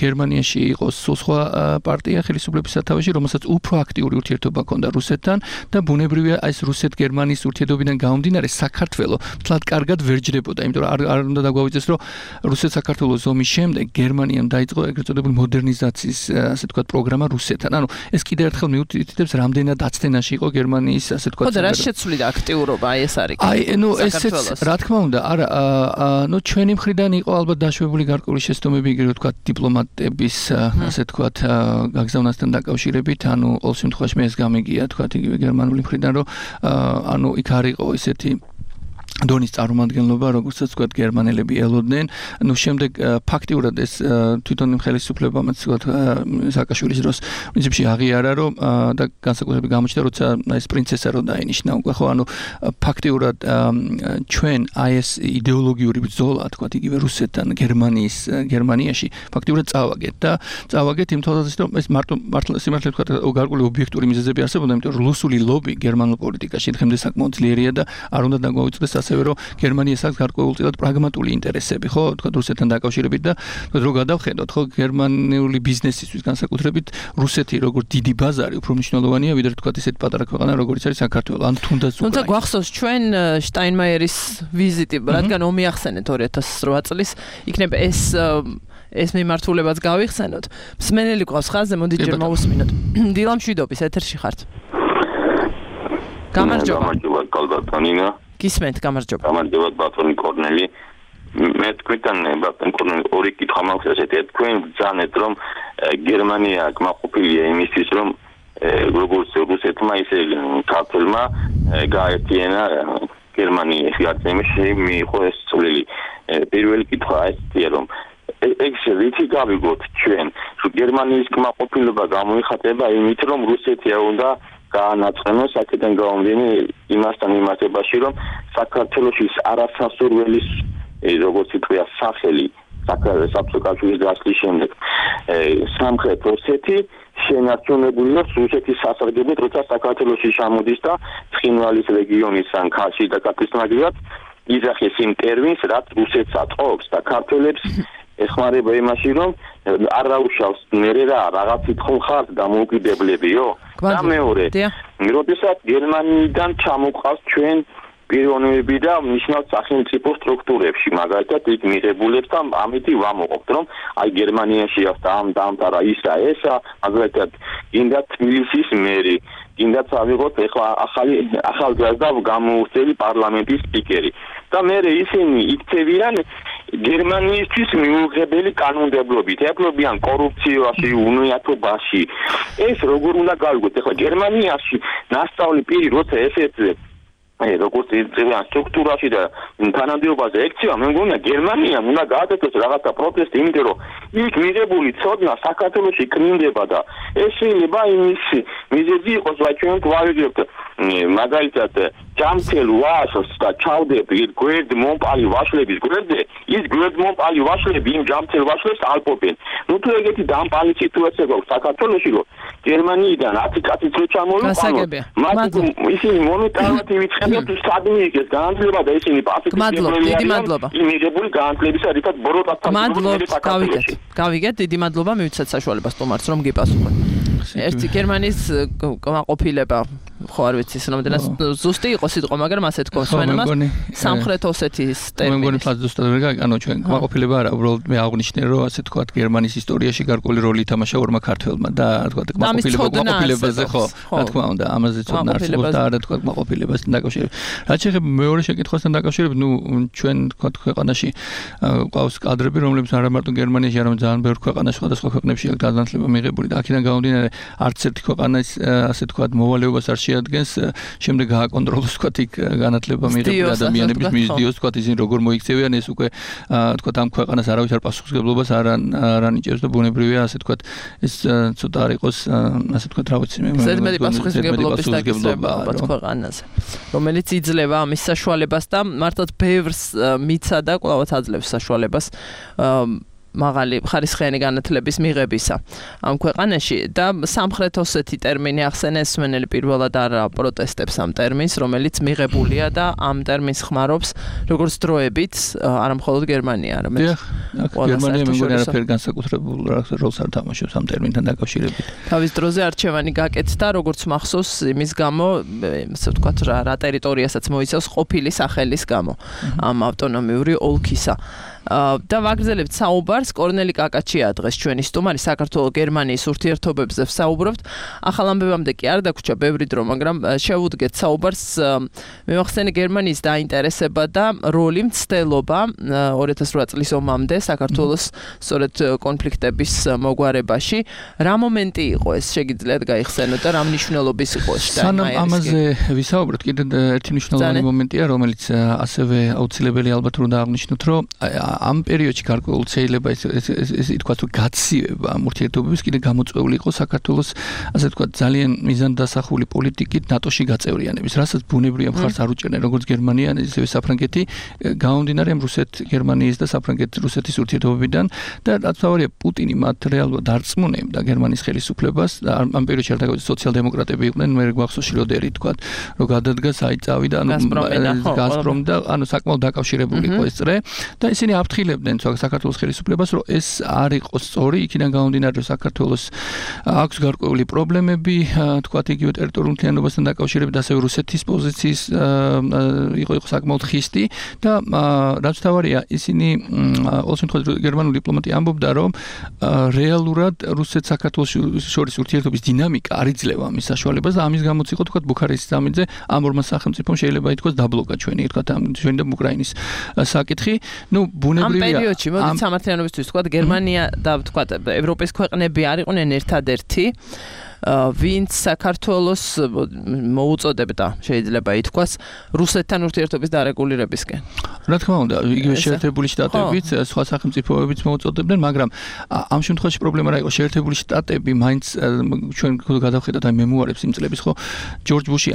გერმანიაში იყო სხვა პარტია ხელისუფლების სათავეში, რომელსაც უფრო აქტიური ურთიერთობა ჰქონდა რუსეთთან და ბუნებრივია ეს რუსეთ-გერმანიის ურთიერთობიდან გამომდინარე საქართველოს მთლად კარგად ვერ ჯდებოდა, იმიტომ რომ არ უნდა დაგვეძებს რომ რუსეთ-საქართველოს ომის შემდეგ გერმანიამ დაიწყო ეგრეთ წოდებული მოდერნიზაციის ასე თქვა პროგრამა რუსეთთან. ანუ ეს კიდევ ერთხელ მიუთითებს რამდენად აცდენაში იყო გერმანიის ასე თქვა. ხო და რა შეცვლიდა აქტიურობა ეს არის. ნუ ესეც რა თქმა უნდა, არა, ნუ ჩვენი მხრიდან იყო ალბათ დაშვებული გარკვეული შეცდომები იგივე თქვა დიპლომატების ასე თქვა გაგზავნასთან დაკავშირებით, ანუ ყოველ შემთხვევაში მე ეს გამიგია თქვა იგივე გერმანული მხრიდან რომ ანუ იქ არ იყო ისეთი დონის წარმომადგენლობა, როგორცაც თქვა გერმანელები ელოდნენ. ნუ შემდეგ ფაქტიურად ეს თვითონ ხელისუფლებამ თქვა სააკაშვილის დროს პრინციპში აღიარა, რომ და განსაკუთრებით გამოჩნდა, როცა ეს პრინცესა რო დაინიშნა უკვე, ხო, ანუ ფაქტიურად ჩვენ აი ეს იდეოლოგიური ბრძოლა თქვა იგივე რუსეთთან გერმანიაში ფაქტიურად წავაგეთ იმ თვალსაზრისით, რომ ეს სიმართლე თქვა გარკვეული ობიექტური მიზეზები არსებობდა, იმიტომ რომ რუსული ლობი გერმანულ პოლიტიკაში დღემდე საკმაოდ ძლიერია და არ უნდა დაგვაუწყდეს ასევე რომ გერმანიას აქვს გარკვეულწილად პრაგმატული ინტერესები, ხო, თქვა რუსეთთან დაკავშირებით და რო გადავხედოთ, ხო, გერმანული ბიზნესისთვის განსაკუთრებით რუსეთი როგორც დიდი ბაზარი უფრო მნიშვნელოვანია ვიდრე თქვა ისეთ პატარა ქვეყანა როგორც არის საქართველო, ან თუნდაც უკრაინა. თუმცა გვახსოვს ჩვენ შტაინმაიერის ვიზიტი, რადგან ომი ახსენეთ 2008 წლის, იქნება ეს მიმართულებაც გავიხსენოთ. მსმენელი ყავს ხაზზე, მოდი ჯერ მოვუსმინოთ. დილა მშვიდობის ეთერში ხართ. გამარჯობა. კალბატონინა. გისმენთ, გამარჯობა. გამარჯობა ბატონი კორნელი. მე თქვენთან ბატონი კორნელი ორი კითხვა მაქვს ესეთი. თქვენ ბრძანეთ რომ გერმანია კმაყოფილია იმისთვის რომ როგორც რუსეთმა ისე ქართველმა გაერთიანა გერმანიის გარდამში მიიღო ეს წვლილი. პირველი კითხვა ესეთი რომ ეს რითი გავიგოთ ჩვენ რომ გერმანიის კმაყოფილება გამოიხატება იმით რომ რუსეთია უნდა გაანაცხენოს აქედან გამომდინე იმასთან მიმართებაში რომ საქართველოში არასასურველის როგორც ითქვია სახელი საბჭოთა კავშირის დასლის შემდეგ სამხრეთ ოსეთი შენარჩუნებულია რუსეთის სასარგებლოდ, როცა საქართველოში ჩამოდის და ცხინვალის რეგიონის ან ქართლის და კაკის მაგივრად იზახის იმ ტერმინს, რაც რუსეთს ატყობს და ქართველებს ეხმარება იმაში, რომ არ დაუშავს მერე რაღაცით ხომ ხართ დამოუკიდებლებიო? და მეორე, როდესაც გერმანიიდან ჩამოყავს ჩვენ პიროვნებები და ნიშნავს სახელმწიფო სტრუქტურებში, მაგალითად იქ მიღებულებს და ამითი ვამოყობთ, რომ აი გერმანიაში დაამტარა ისა ესა, მაგალითად გინდა თბილისის მერი, გინდა ავიღოთ ეხლა ახალგაზრდა გამოუხდელი პარლამენტის სპიკერი. და მე ისინი იქცევიან გერმანიისთვის მიუღებელი კანონმდებლობით, ეპყრობიან კორუფციაში, უნიათობაში. ეს როგორ უნდა გავიგოთ? ეხლა გერმანიაში ნასწავლი პირი როცა ესეცლებს როგორც იწევიან სტრუქტურაში და თანამდებობაზე ექცევა, მე მგონია გერმანიამ უნდა გააკეთოს რაღაცა პროტესტი, იმიტომ რომ იქ მიღებული ცოდნა საქართველოში კნინდება და ეს შეიძლება იმის მიზეზი იყოს, რა ჩვენ გვავიგებთ მაგალითად ჯამთელ ვაშლს და ჩავდებ გვერდ მომპალი ვაშლების გვერდზე, ის გვერდ მომპალი ვაშლები იმ ჯამთელ ვაშლებს ალპობენ. ნუ თუ ეგეთი დამპალი სიტუაცია გვაქვს საქართველოში, რომ გერმანიიდან 10 კაციც რო ჩამოვიყვანოთ, მათ ისინი მომენტალურად ივიწყებენ თუ სადმე იქეს განათლება და ისინი პასუხისმგებლობები დიდი მადლობა. იმიღებული განათლებისა რითაც ბოროტასთან გავიგეთ, დიდი მადლობა, მივიცეთ საშუალებას თომარს რომ გიპასუხოთ. ერთი გერმანიის კმაყოფილება ხო არ ვიცი რამდენად ზუსტი იყო სიტყვა, მაგრამ ასე თქვა სვენემას სამხრეთ ოსეთის ტერმინი. მე მგონი ფაქტ ზუსტად ვერ გაიგე, ანუ ჩვენ კმაყოფილება არა, უბრალოდ მე აღვნიშნე რომ ასე თქვა გერმანიის ისტორიაში გარკვეული როლი ითამაშა ორმა ქართველმა და თქვა კმაყოფილებაზე ხო, რა თქმა უნდა, ამაზე ცოდნა არსებობს და არა თქვა კმაყოფილებასთან დაკავშირებით. რაც შეეხება მეორე შეკითხვასთან დაკავშირებით, ნუ ჩვენ თქვა ქვეყანაში ყავს კადრები, რომლებიც არა მარტო გერმანიაში, არამედ ძალიან ბევრ ქვეყანაში, სხვადასხვა ქვეყნებში აქვს განათლება მიღებული და აქედან გამომდინარე არც ერთი ქვეყანის ასე თქვა მოვალეობას არ შეადგენს შემდეგ გააკონტროლოს თქვა იქ განათლება მიღებული ადამიანების მისდიოს თქვა ისინი როგორ მოიქცევიან ეს უკვე თქვა ამ ქვეყანას არავის არ პასუხისმგებლობას არ ანიჭებს და ბუნებრივია ასე თქვა ეს ცოტა არ იყოს ასე თქვა რა ვიცი მე ზედმეტი პასუხისმგებლობის დაკისრება ალბათ ქვეყანაზე რომელიც იძლევა ამის საშუალებას და მართლაც ბევრს მიცა და კვლავაც აძლევს საშუალებას მაღალი ხარისხიანი განათლების მიღებისა ამ ქვეყანაში და სამხრეთ ოსეთი ტერმინი ახსენეს სვენელი პირველად არ პროტესტებს ამ ტერმინს, რომელიც მიღებულია და ამ ტერმინს ხმარობს როგორც დროებით, არა მხოლოდ გერმანია, არამედ გერმანია მეგონი არაფერ განსაკუთრებულ როლს არ თამაშობს ამ ტერმინთან დაკავშირებით. თავის დროზე არჩევანი გაკეთდა, როგორც მახსოვს, იმის გამო, ასე ვთქვათ, რა ტერიტორიასაც მოიცავს ყოფილი სახელის გამო ამ ავტონომიური ოლქისა. და ვაგრძელებთ საუბარს კორნელი კაკაჩია დღეს ჩვენი სტუმარი საქართველოს გერმანიის ურთიერთობებზე ვსაუბრობთ. ახალ ამბებამდე კი არ დაგვრჩა ბევრი დრო, მაგრამ შევუდგეთ საუბარს მევახსენე გერმანიის დაინტერესება და როლი მცდელობა 2008 წლის ომამდე საქართველოს სწორედ კონფლიქტების მოგვარებაში. რა მომენტი იყო ეს შეგიძლიათ გაიხსენოთ და რა მნიშვნელობის იყო ეს? სანამ ამაზე ვისაუბროთ, კიდევ ერთი მნიშვნელოვანი მომენტია, რომელიც ასევე აუცილებელი ალბათ უნდა აღნიშნოთ, რომ ამ პერიოდში გარკვეულ შეიძლება ეს ითქვას რომ გაცივება ამ ურთიერთობების კიდე გამოწვეული იყო საქართველოს ასე ვთქვათ ძალიან მიზანდასახული პოლიტიკით ნატოში გაწევრიანების, რასაც ბუნებრივია მხარს არ უჭერდნენ როგორც გერმანია, ისევე საფრანგეთი, გამომდინარე რუსეთ-გერმანიის და საფრანგეთ-რუსეთის ურთიერთობებიდან და რაც თავარია პუტინი მათ რეალურად არწმუნებდა გერმანიის ხელისუფლებას და ამ პერიოდში არ დაგავიწყდა სოციალ-დემოკრატები იყვნენ, მე გვახსოვს შროდერი თქვათ, რომ გადადგა საიწავი და გაზპრომი და საკმაოდ დაკავშირებული იყო ეს წრე და ისინი აფრთხილებდნენ საქართველოს ხელისუფლებას, რომ ეს არ იყოს სწორი, იქიდან გამომდინარე, რომ საქართველოს აქვს გარკვეული პრობლემები, თქვათ იგივე ტერიტორიულ მთლიანობასთან დაკავშირებით, ასევე რუსეთის პოზიციის იყო საკმაოდ ხისტი და რაც თავარია, ისინი ყოველ შემთხვევაში გერმანული დიპლომატია ამბობდა, რომ რეალურად რუსეთ-საქართველოს შორის ურთიერთობის დინამიკა არ იძლევა ამის საშუალებას და ამის გამოც იყო თქვათ ბუქარესტის სამიტზე ამ ორმა სახელმწიფომ შეიძლება ითქვას დაბლოკა ჩვენი და უკრაინის საკითხი. ნუ ამ პერიოდში მოდით სამართლიანობისთვის თქვათ გერმანია და თქვათ ევროპის ქვეყნები არ იყვნენ ერთადერთი ვინც საქართველოს მოუწოდებდა შეიძლება ითქვას რუსეთთან ურთიერთობის დარეგულირებისკენ. რა თქმა უნდა, იგივე შეერთებული შტატებიც, სხვა სახელმწიფოებიც მოუწოდებდნენ, მაგრამ ამ შემთხვევაში პრობლემა რა იყო, შეერთებული შტატები მაინც ჩვენ გადავხედოთ აი მემუარებს იმ წლების, ხო, ჯორჯ ბუში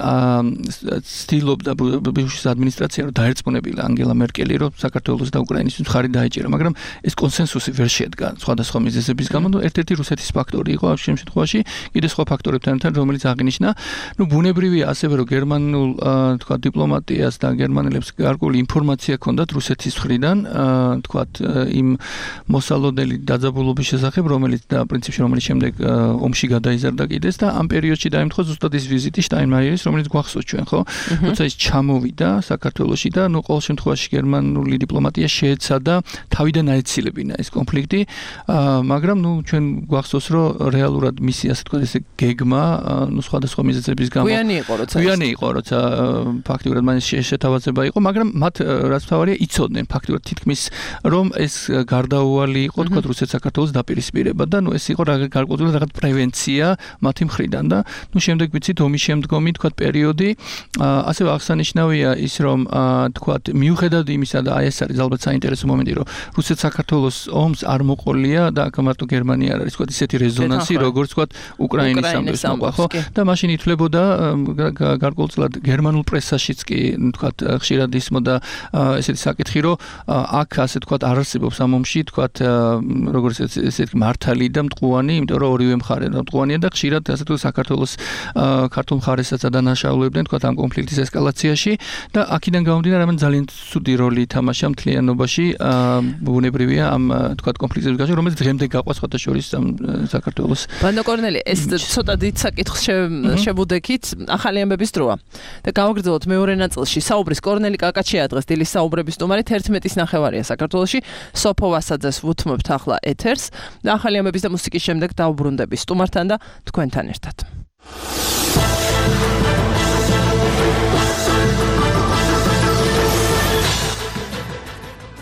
ცდილობდა ბუშის ადმინისტრაცია რომ დაერწმუნებილა ანგელა მერკელი, რომ საქართველოს და უკრაინის მხარი დაეჭერა, მაგრამ ეს კონსენსუსი ვერ შედგა სხვადასხვა მიზეზების გამო, ერთ-ერთი რუსეთის ფაქტორი იყო ამ შემთხვევაში, კიდე სხვა ფაქტორებთან თან, რომელიც აღინიშნა, ბუნებრივია ასევე რომ გერმანულ თქვა დიპლომატიას და გერმანელებს გარკვეული ინფორმაცია ჰქონდათ რუსეთის მხრიდან, თქვა იმ მოსალოდნელი დაძაბულობის შესახებ, რომელიც შემდეგ ომში გადაიზარდა კიდეც და ამ პერიოდში დაემთხვა ზუსტად ის ვიზიტი შტაინმაიერის, რომელიც გვახსოვს ჩვენ, ხო? როცა ის ჩამოვიდა საქართველოში და ყოველ შემთხვევაში გერმანული დიპლომატია შეეცადა თავიდან აეცილებინა ეს კონფლიქტი, მაგრამ ჩვენ გვახსოვს რომ რეალურად მისი ასე თქვა ესე გეგმა, სხვადასხვა მიზეზების გამო გვიანი იყო, როცა ფაქტიურად მან შეთავაზება იყო, მაგრამ მათ რაც თავარია იცოდნენ ფაქტიურად თითქმის რომ ეს გარდაუვალი იყო თქვა რუსეთ-საქართველოს დაპირისპირება და ეს იყო გარკვეული რაღაც პრევენცია მათი მხრიდან და შემდეგ ვიცით ომის შემდგომი თქვა პერიოდი ასევე აღსანიშნავია ის რომ თქვა მიუხედავად იმისა და ეს არის ალბათ საინტერესო მომენტი რომ რუსეთ-საქართველოს ომს არ მოყოლია და აქ მარტო გერმანია არ არის თქვა ისეთი რეზონანსი როგორც თქვა უკრაინის ამბებს მოყვა ხო და მაშინ ითვლებოდა გარკვეულწილად გერმანულ პრესაშიც კი თქვა ხშირად ისმოდა ესეთი საკითხი რომ აქ ასე თქვა არ არსებობს ამ ომში თქვა როგორც ესეთი მართალი და მტყუანი იმიტომ რომ ორივე მხარე მტყუანია და ხშირად ასე თუ საქართველოს ქართულ მხარესაც ადანაშაულებდნენ თქვა ამ კონფლიქტის ესკალაციაში და აქედან გამომდინარე ამან ძალიან ცუდი როლი ითამაშა მთლიანობაში ბუნებრივია ამ თქვა კონფლიქტის გაშენში რომელიც დღემდე გაყვა სხვათა შორის საქართველოს ბანდა კორნელი ეს ცოტა დიდ საკითხს შევუდექით ახალი ამბების დროა და გავაგრძელოთ მეორე ნაწილში საუბრის კორნელი კაკაჩია დღეს დილის საუბრების სტუმარი 11:30 საქართველოში სოფო ვასაძეს ვუთმობთ ახლა ეთერს და ახალი ამბების და მუსიკის შემდეგ დავბრუნდები სტუმართან და თქვენთან ერთად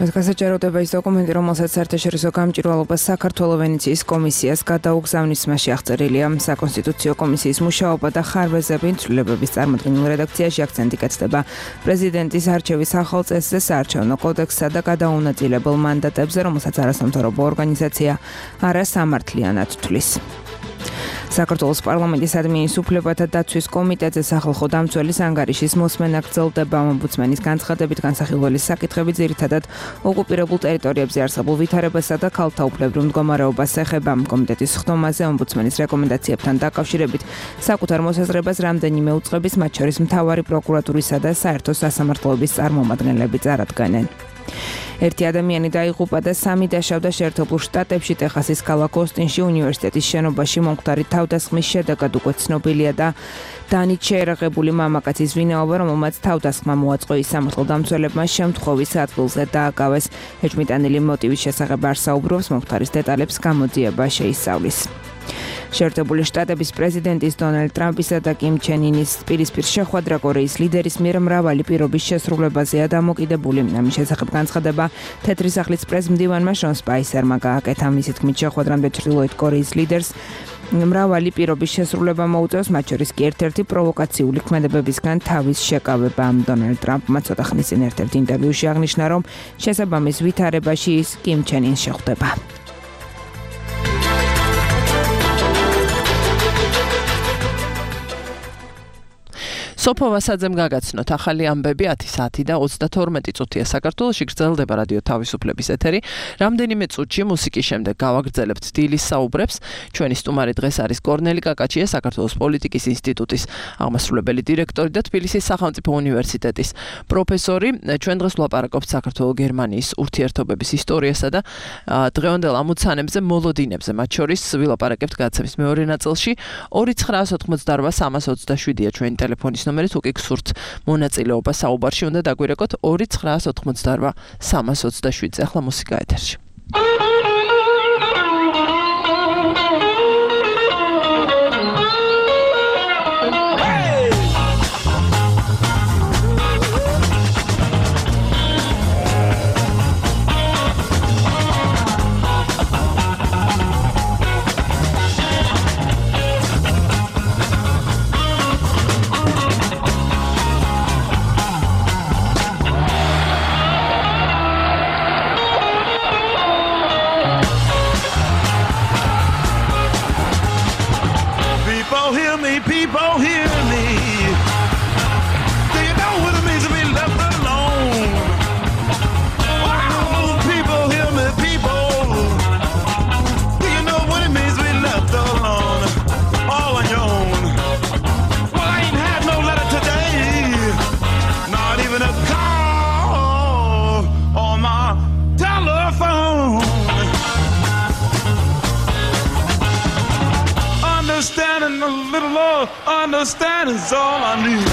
ეს გასაჭიროდება ის დოკუმენტი, რომელსაც საერთაშორისო გამჭვირვალობას საქართველოს ვენეციის კომისიას გადაუგზავნის მასში აღწერილია საკონსტიტუციო კომისიის მუშაობა და ხარვეზები ცვლილებების წარმოდგენილ რედაქციაში აქცენტი გაცდება პრეზიდენტის არჩევის ახალ წესზე, საარჩევნო კოდექსსა და გადაუნაწილებელ მანდატებზე, რომელსაც არასამთავრობო ორგანიზაცია არასამართლიანად თვლის. საქართველოს პარლამენტის ადმინის უფლებათა დაცვის კომიტეტზე სახალხო დამცველის ანგარიშის მოსმენა გრძელდება ომბუდსმენის განცხადებით განსახილველი საკითხები ძირითადად ოკუპირებულ ტერიტორიებზე არსებულ ვითარებასა და ქალთა უფლებრივ მდგომარეობას ეხება. კომიტეტის ხდომაზე ომბუდსმენის რეკომენდაციებთან დაკავშირებით საკუთარ მოსაზრებას რამდენიმე უწყების მათ შორის მთავარი პროკურატურისა და საერთო სასამართლოების წარმომადგენლები წარადგენენ. ერთი ადამიანი დაიღუპა და 3 დაშავდა შეერთებულ შტატებში ტეხასის ქალაქ ოსტინში უნივერსიტეტის შენობაში მომხდარი თავდასხმის შედეგად უკვე ცნობილია და დანით შეერაღებული მამაკაცის ვინაობა, რომელმაც თავდასხმა მოაწყო ის სამართალდამცველებმა შემთხვევის ადგილზე დააკავეს. ეჭვმიტანილი მოტივის შესახებ არ საუბრობს, მომხდარის დეტალებს გამოძიება შეისწავლის. შეერთებული შტატების პრეზიდენტის დონალდ ტრამპისა და კიმ ჩენ ინის პირისპირ შეხვედრა კორეის ლიდერის მიერ მრავალი პირობის შესრულებაზეა დამოკიდებული. ამის შესახებ განცხადება თეთრი სახლის პრეზმდივანმა შონ სპაისერმა გააკეთა. მისი თქმით შეხვედრამდე ჩრდილოეთ კორეის ლიდერს მრავალი პირობის შესრულება მოუწევს, მათ შორის კი ერთ-ერთი პროვოკაციული ქმედებებისგან თავის შეკავება. დონალდ ტრამპმა ცოტა ხნის წინ ერთ-ერთ ინტერვიუში აღნიშნა, რომ შესაბამის ვითარებაში ის კიმ ჩენ ინს შეხვდება. სოფო ვასაძემ გაგაცნოთ ახალი ამბები 10 საათი და 32 წუთია საქართველოში გრძელდება რადიო თავისუფლების ეთერი. რამდენიმე წუთში მუსიკის შემდეგ გავაგრძელებთ დილის საუბრებს. ჩვენი სტუმარი დღეს არის კორნელი კაკაჩია, საქართველოს პოლიტიკის ინსტიტუტის აღმასრულებელი დირექტორი და თბილისის სახელმწიფო უნივერსიტეტის პროფესორი. ჩვენ დღეს ვლაპარაკობთ საქართველოს-გერმანიის ურთიერთობების ისტორიასა და დღევანდელ ამოცანებზე, მოლოდინებზე, მათ შორის ვილაპარაკებთ გადაცემის მეორე ნაწილში. 2988327-ია ჩვენი ტელეფონის ნომერი, თუ კი გსურთ მონაწილეობა საუბარში, უნდა დაგვირეკოთ 2988327. ახლა მუსიკა ეთერში. a little love, understanding's all I need.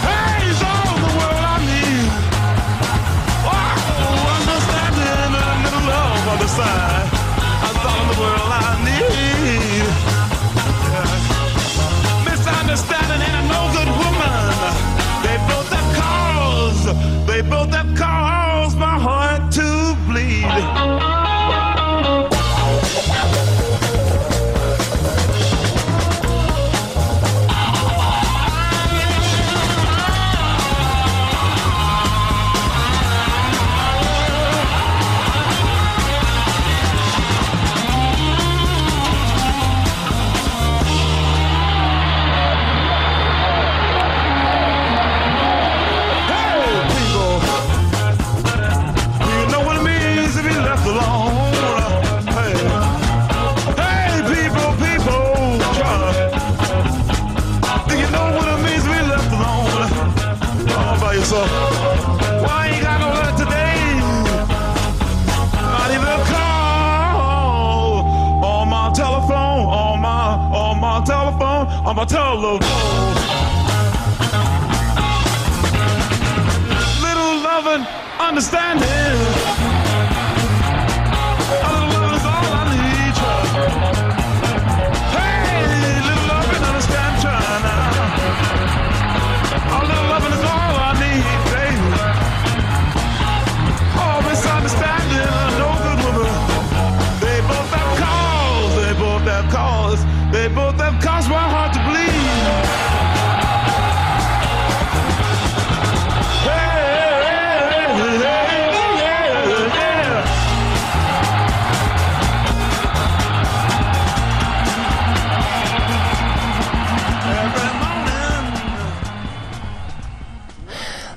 Hey, it's all the world I need. Oh, understanding, a little love on the side. That's all the world I need. Yeah. Misunderstanding and a no good woman. They both have caused my heart to bleed. So why you got no letter today? Not even a call on my telephone, on my telephone, on my telephone. Little loving, understanding. A little loving is all I need, child. Hey, little loving, understand, child. A little loving is all I need, baby. Oh, misunderstanding, no good woman. They both have cause, they both have caused my heart to bleed.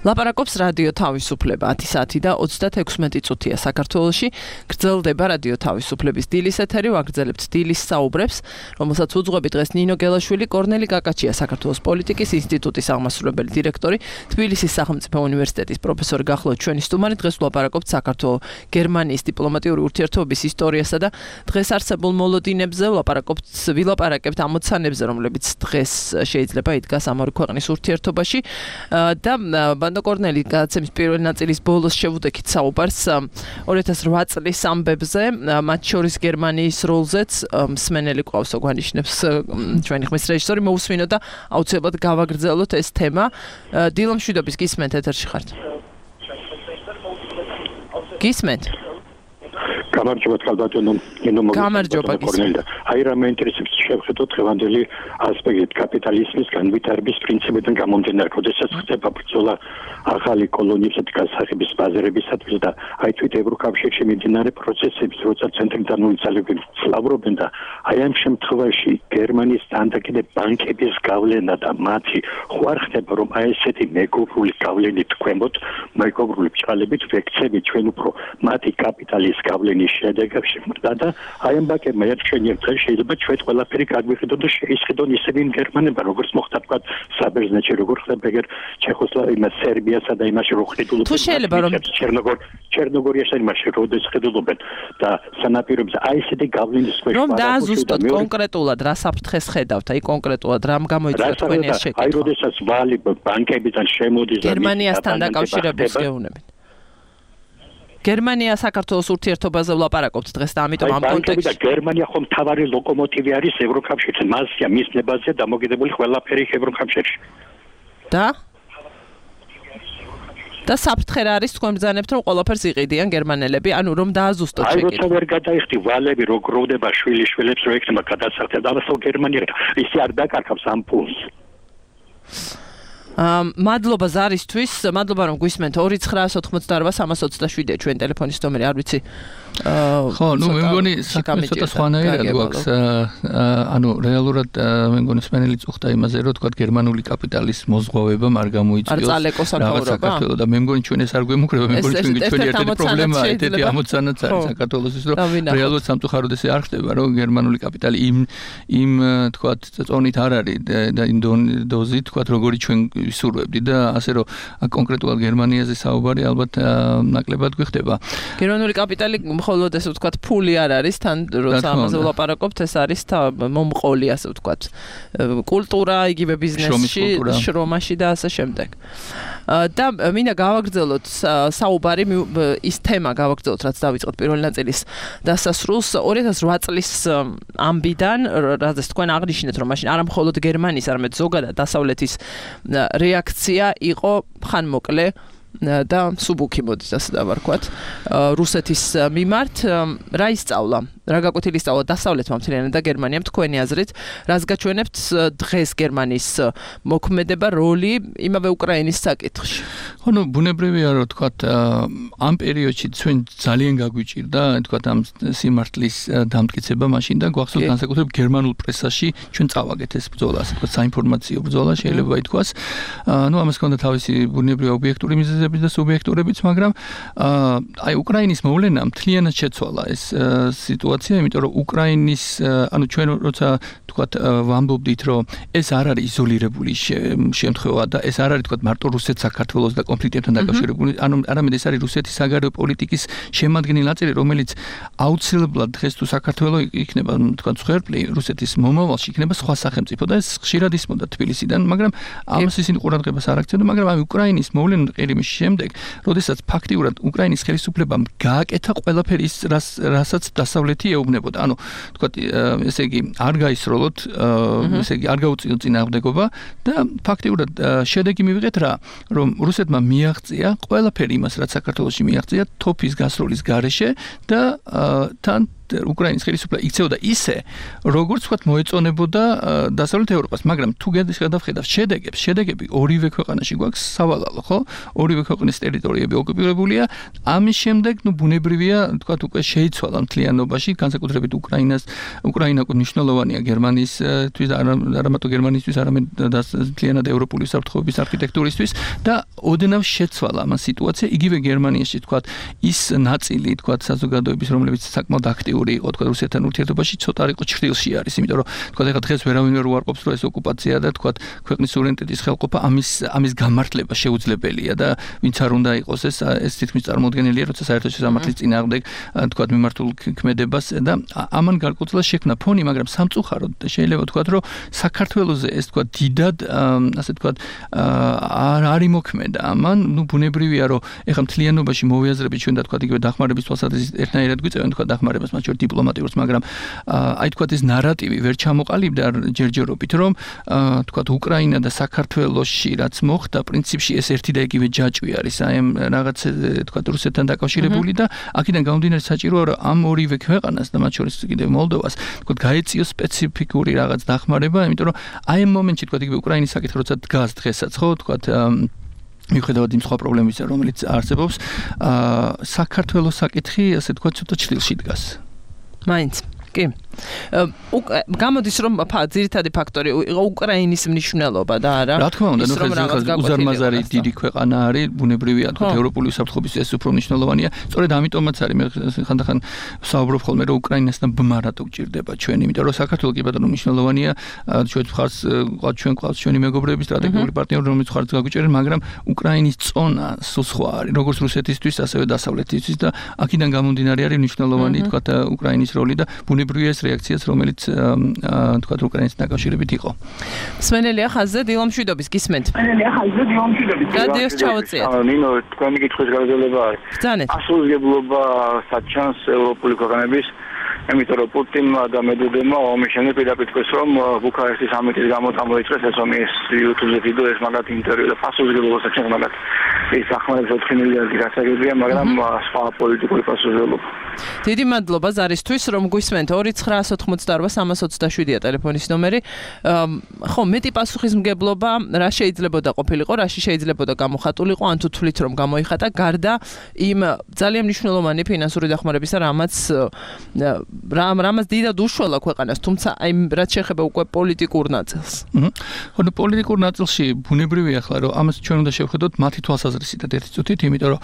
ლაპარაკობს რადიო თავისუფლება 10 საათი და 36 წუთია საქართველოში. გრძელდება რადიო თავისუფლების დილის ეთერი, ვაგრძელებთ დილის საუბრებს, რომელსაც უძღვები დღეს ნინო გელაშვილი, კორნელი კაკაჩია, საქართველოს პოლიტიკის ინსტიტუტის აღმასრულებელი დირექტორი, თბილისის სახელმწიფო უნივერსიტეტის პროფესორი გახლავთ ჩვენი სტუმარი. დღეს ვლაპარაკობთ საქართველოს-გერმანიის დიპლომატიური ურთიერთობების ისტორიასა და დღეს არსებულ მოლოდინებზე, ვილაპარაკებთ ამოცანებზე, რომლებიც დღეს შეიძლება იდგას ამ ორი ქვეყნის ურთიერთობაში და ბანდო კორნელი გადაცემის პირველი ნაწილის ბოლოს შევუდექით საუბარს 2008 წლის ამბებზე, მათ შორის გერმანიის როლზეც მსმენელი ყავს ოგვანიშნებს ჩვენი ხმის რეჟისორი მოусმინო და აუცილებლად გავაგრძელოთ ეს თემა. დილო მშვიდობის, გისმენთ, ეთერში ხართ. გისმენთ? გამარჯობა თვალბატონო ნინო გამარჯობა კორნელი. აი რა მეინტერესებს შევხედოთ დღევანდელი ასპექტი კაპიტალიზმის განვითარების პრინციპიდან გამომდინარე, როდესაც ხდება ბრძოლა ახალი კოლონიებსა და გასახების ბაზარებისათვის და აი თვით ევროკავშირში მიმდინარე პროცესებს, როცა ცენტრალურ ძალები ფლავრობენ და აი ამ შემთხვევაში გერმანიის დანაკიდე ბანკების გავლენა და მათი ხوار ხდება, რომ აი ესეთი მეგობრული გავლენით ქვემოთ, მეგობრული ბჭყალებით ვექცევით ჩვენ უფრო მათი კაპიტალის გავლენის შედეგებში მრდა და აი ამ ბანკებმა ერთჩენიერ დღეს შეიძლება ჩვენ ყველაფერი გაგვიხედოთ და შეისყიდონ ისევ იმ გერმანებმა, როგორც მოხდა თქვა საბერძნეთში, როგორ ხდება ეგერ ჩეხოსლოვაკიასა, სერბიასა და იმაში რო ხედულობენ. თუ შეიძლება რომ ჩერნოგორიაში იმაში როდეს ხედულობენ და სანაპიროებზე აი ესეთი გავლენის ქვეშ რომ დააზუსტოთ კონკრეტულად რა საფრთხეს ხედავთ, აი კონკრეტულად რამ გამოიწვია თქვენი ეს შეკითხვა. აი როდესაც ვალი ბანკებიდან შემოდის და გერმანიასთან დაკავშირების გეუბნებით. გერმანია საქართველოს ურთიერთობაზე ვლაპარაკობთ დღეს და ამიტომ ამ კონტექსტში გერმანია ხომ თავარი ლოკომოტივი არის ევროკავშირში, მასია მის ნებაზე დამოკიდებული ყველაფერი ევროკავშირში. და საფრთხე რა არის თქვენ ბრძანებთ რომ ყველაფერს იყიდიან გერმანელები, ანუ რომ დააზუსტოთ შეკითხვა. აი როცა ვერ გადაიხდი ვალები რო გროვდება შვილიშვილებს რო ექნება გადასახდად, ამასო გერმანია ისე არ დაკარგავს ამ ფულს. მადლობა ზარისთვის, მადლობა რომ გვისმენთ 2988327 ჩვენ ტელეფონის ნომერი, არ ვიცი. ხო, ნუ მე მგონი ცოტა სხვანაირად გვაქვს, ანუ რეალურად მე მგონი სპენელი წუხდა იმაზე, რომ თქვა გერმანული კაპიტალის მოზღვავება არ გამოიწვიოს საქართველოს და მე მგონი ჩვენ ეს არ გვემუქრება, მე მგონი ჩვენ ერთ-ერთი პრობლემაა, ერთ-ერთი ამოცანაც არის საქართველოს ის, რომ რეალურად სამწუხაროდ ესე არ ხდება, რომ გერმანული კაპიტალი იმ თქვა წონით არ არის და იმ დოზით თქვა როგორი ჩვენ ვისურვებდი და ასე რომ კონკრეტულად გერმანიაზე საუბარი ალბათ ნაკლებად გვიხდება. გერმანული კაპიტალი მხოლოდ ესე ვთქვათ ფული არ არის, თან როცა ამაზე ვლაპარაკობთ, ეს არის მომყოლი ასე ვთქვათ. კულტურა, იგივე ბიზნესში, შრომაში და ასე შემდეგ. და მინდა გავაგრძელოთ საუბარი ის თემა გავაგრძელოთ, რაც დავიწყოთ პირველი ნაწილის დასასრულს 2008 წლის ამბიდან, რადგან თქვენ აღნიშნეთ, რომ მაშინ არა მხოლოდ გერმანიის, არამედ ზოგადად დასავლეთის რეაქცია იყო ხანმოკლე და სუბუქი მოდით ასე დავარქვათ რუსეთის მიმართ რა ისწავლა რა გაკვეთილი ისწავლა დასავლეთმა მთლიანად და გერმანიამ თქვენი აზრით რას გაჩვენებთ დღეს გერმანიის მოქმედება როლი იმავე უკრაინის საკითხში ხო ბუნებრივია რომ თქვათ ამ პერიოდში ჩვენ ძალიან გაგვიჭირდა თქვათ ამ სიმართლის დამტკიცება მაშინ და გვახსოვს განსაკუთრებით გერმანულ პრესაში ჩვენ წავაგეთ ეს ბრძოლა ასე თქვათ საინფორმაციო ბრძოლა შეიძლება ითქვას ამას ჰქონდა თავისი ბუნებრივი ობიექტური მიზეზები და სუბიექტურებიც მაგრამ აი უკრაინის მოვლენა მთლიანად შეცვალა ეს სიტუაცია იმიტომ რომ უკრაინის ჩვენ როცა თქვათ ვამბობდით რომ ეს არ არის იზოლირებული შემთხვევა და ეს არ არის თქვათ მარტო რუსეთ საქართველოს და კონფლიქტებთან დაკავშირებული არამედ ეს არის რუსეთის საგარეო პოლიტიკის შემადგენელი ნაწილი რომელიც აუცილებლად დღეს თუ საქართველოს იქნება თქვათ მსხვერპლი რუსეთის მომავალში იქნება სხვა სახელმწიფო და ეს ხშირად ისმოდა თბილისიდან მაგრამ ამას ისინი ყურადღებას არ აქცევდა მაგრამ აი უკრაინის მოვლენა ყირიმის შემდეგ როდესაც ფაქტიურად უკრაინის ხელისუფლებამ გააკეთა ყველაფერი ის რასაც დასავლეთი ეუბნებოდა ანუ თქვათ ესე იგი არ გაისროლოთ ესე იგი არ გაუწიოთ წინააღმდეგობა და ფაქტიურად შედეგი მივიღეთ რა რომ რუსეთმა მიაღწია ყველაფერი იმას რაც საქართველოში მიაღწია თოფის გასროლის გარეშე და თან უკრაინის ხელისუფლება იქცეოდა ისე როგორც ვთქვათ მოეწონებოდა დასავლეთ ევროპას მაგრამ თუ გადავხედავთ შედეგები ორივე ქვეყანაში გვაქვს სავალალო ხო ორივე ქვეყნის ტერიტორიები ოკუპირებულია ამის შემდეგ ბუნებრივია ვთქვათ უკვე შეიცვალა მთლიანობაში განსაკუთრებით უკრაინა მნიშვნელოვანია გერმანიისთვის არა მარტო გერმანიისთვის არამედ მთლიანად ევროპული საფრთხეობის არქიტექტურისთვის და ოდნავ შეცვალა ამ სიტუაცია იგივე გერმანიაში ვთქვათ ის ნაწილი ვთქვათ საზოგადოების რომლებიც საკმაოდ აქტიური იყო თქვა რუსეთთან ურთიერთობაში ცოტა იყო ჩრდილში არის იმიტომ რომ თქვა ეხლა დღეს ვერავინ ვერ უარყოფს რომ ეს ოკუპაცია და თქვა ქვეყნის სუვერენიტეტის ხელყოფა ამის გამართლება შეუძლებელია და ვინც არ უნდა იყოს ეს თითქმის წარმოუდგენელია როცა საერთო შესამართლის წინააღმდეგ თქვა მიმართულ ქმედებას და ამან გარკვეულად შექმნა ფონი მაგრამ სამწუხაროდ შეიძლება თქვა რომ საქართველოზე ეს თქვა დიდად ასე თქვა არ იმოქმედა ამან ბუნებრივია რომ ეხლა მთლიანობაში მოვიაზრებით ჩვენ და თქვა იგივე დახმარების თვალსაზრისით ერთნაირად გვიწევენ თქვა დახმარებას მათ შორის დიპლომატიურს მაგრამ აი თქვა ეს ნარატივი ვერ ჩამოყალიბდა ჯერჯერობით რომ თქვა უკრაინა და საქართველოში რაც მოხდა პრინციპში ეს ერთი და იგივე ჯაჭვი არის აი ამ რაღაც თქვა რუსეთთან დაკავშირებული და აქედან გამომდინარე საჭიროა რომ ამ ორივე ქვეყანას და მათ შორის კიდევ მოლდოვას თქვა გაეწიოს სპეციფიკური რაღაც დახმარება იმიტომ რომ აი ამ მომენტში თქვა იგივე უკრაინის საკითხი როცა დგას დღესაც ხო თქვა მიუხედავად იმ სხვა პრობლემებისა რომელიც არსებობს საქართველოს საკითხი ასე თქვა ცოტა ჩრდილში დგას მაინც კი გამოდის რომ ძირითადი ფაქტორი იყო უკრაინის მნიშვნელობა და არა რა თქმა უნდა უზარმაზარი დიდი ქვეყანა არის ბუნებრივია თქვა ევროპული საფრთხეობის ეს უფრო მნიშვნელოვანია სწორედ ამიტომაც არის მე ხანდახან საუბრობ ხოლმე რომ უკრაინასთან ბმა რატო გჭირდება ჩვენ იმიტომ რომ საქართველოს კი ბატონო მნიშვნელოვანია ჩვენ ხარს ჩვენ ყავს ჩვენი მეგობრები სტრატეგიული პარტნიორი რომელიც ხარს გაგვიჭერენ მაგრამ უკრაინის წონა სულ სხვა არის როგორც რუსეთისთვის ასევე დასავლეთისთვის და აქედან გამომდინარე არის მნიშვნელოვანი თქვა უკრაინის როლი და ბუნებრივია ეს რეაქციაც რომელიც თქვა უკრაინის დაკავშირებით იყო. სმენელია ხაზზე დილომშვიდობის გისმენთ. გადიოს ჩავუწიეთ. ნინო თქვენი კითხვის გაგრძელება არის. ბრძანეთ. ასრულებლობა საჩანს ევროპული ქვეყნების იმიტომ რომ პუტინმა და მედვედევმა ომის შემდეგ პირდაპირ თქვეს რომ ბუქარესტის სამიტის გამო წამოიწყეს ეს ომი ეს YouTube-ზე ვიდეო ეს მაგათ ინტერვიუ და პასუხისმგებლობა საჩანს მაგათ ის ახმარებს 4 მილიარდი გასაგებია მაგრამ სხვა პოლიტიკური პასუხისმგებლობა დიდი მადლობა ზარისთვის რომ გვისმენთ 2988327-ია ტელეფონის ნომერი ხო მეტი პასუხისმგებლობა რა შეიძლებოდა ყოფილიყო რაში შეიძლებოდა გამოხატულიყო ან თუ თვლით რომ გამოიხატა გარდა იმ ძალიან მნიშვნელოვანი ფინანსური დახმარებისა რამაც დიდად უშველა ქვეყანას თუმცა აი რაც შეეხება უკვე პოლიტიკურ ნაწილს ხო პოლიტიკურ ნაწილში ბუნებრივია ახლა რომ ამას ჩვენ უნდა შევხედოთ მათი თვალსაზრისით ერთი წუთით იმიტომ რომ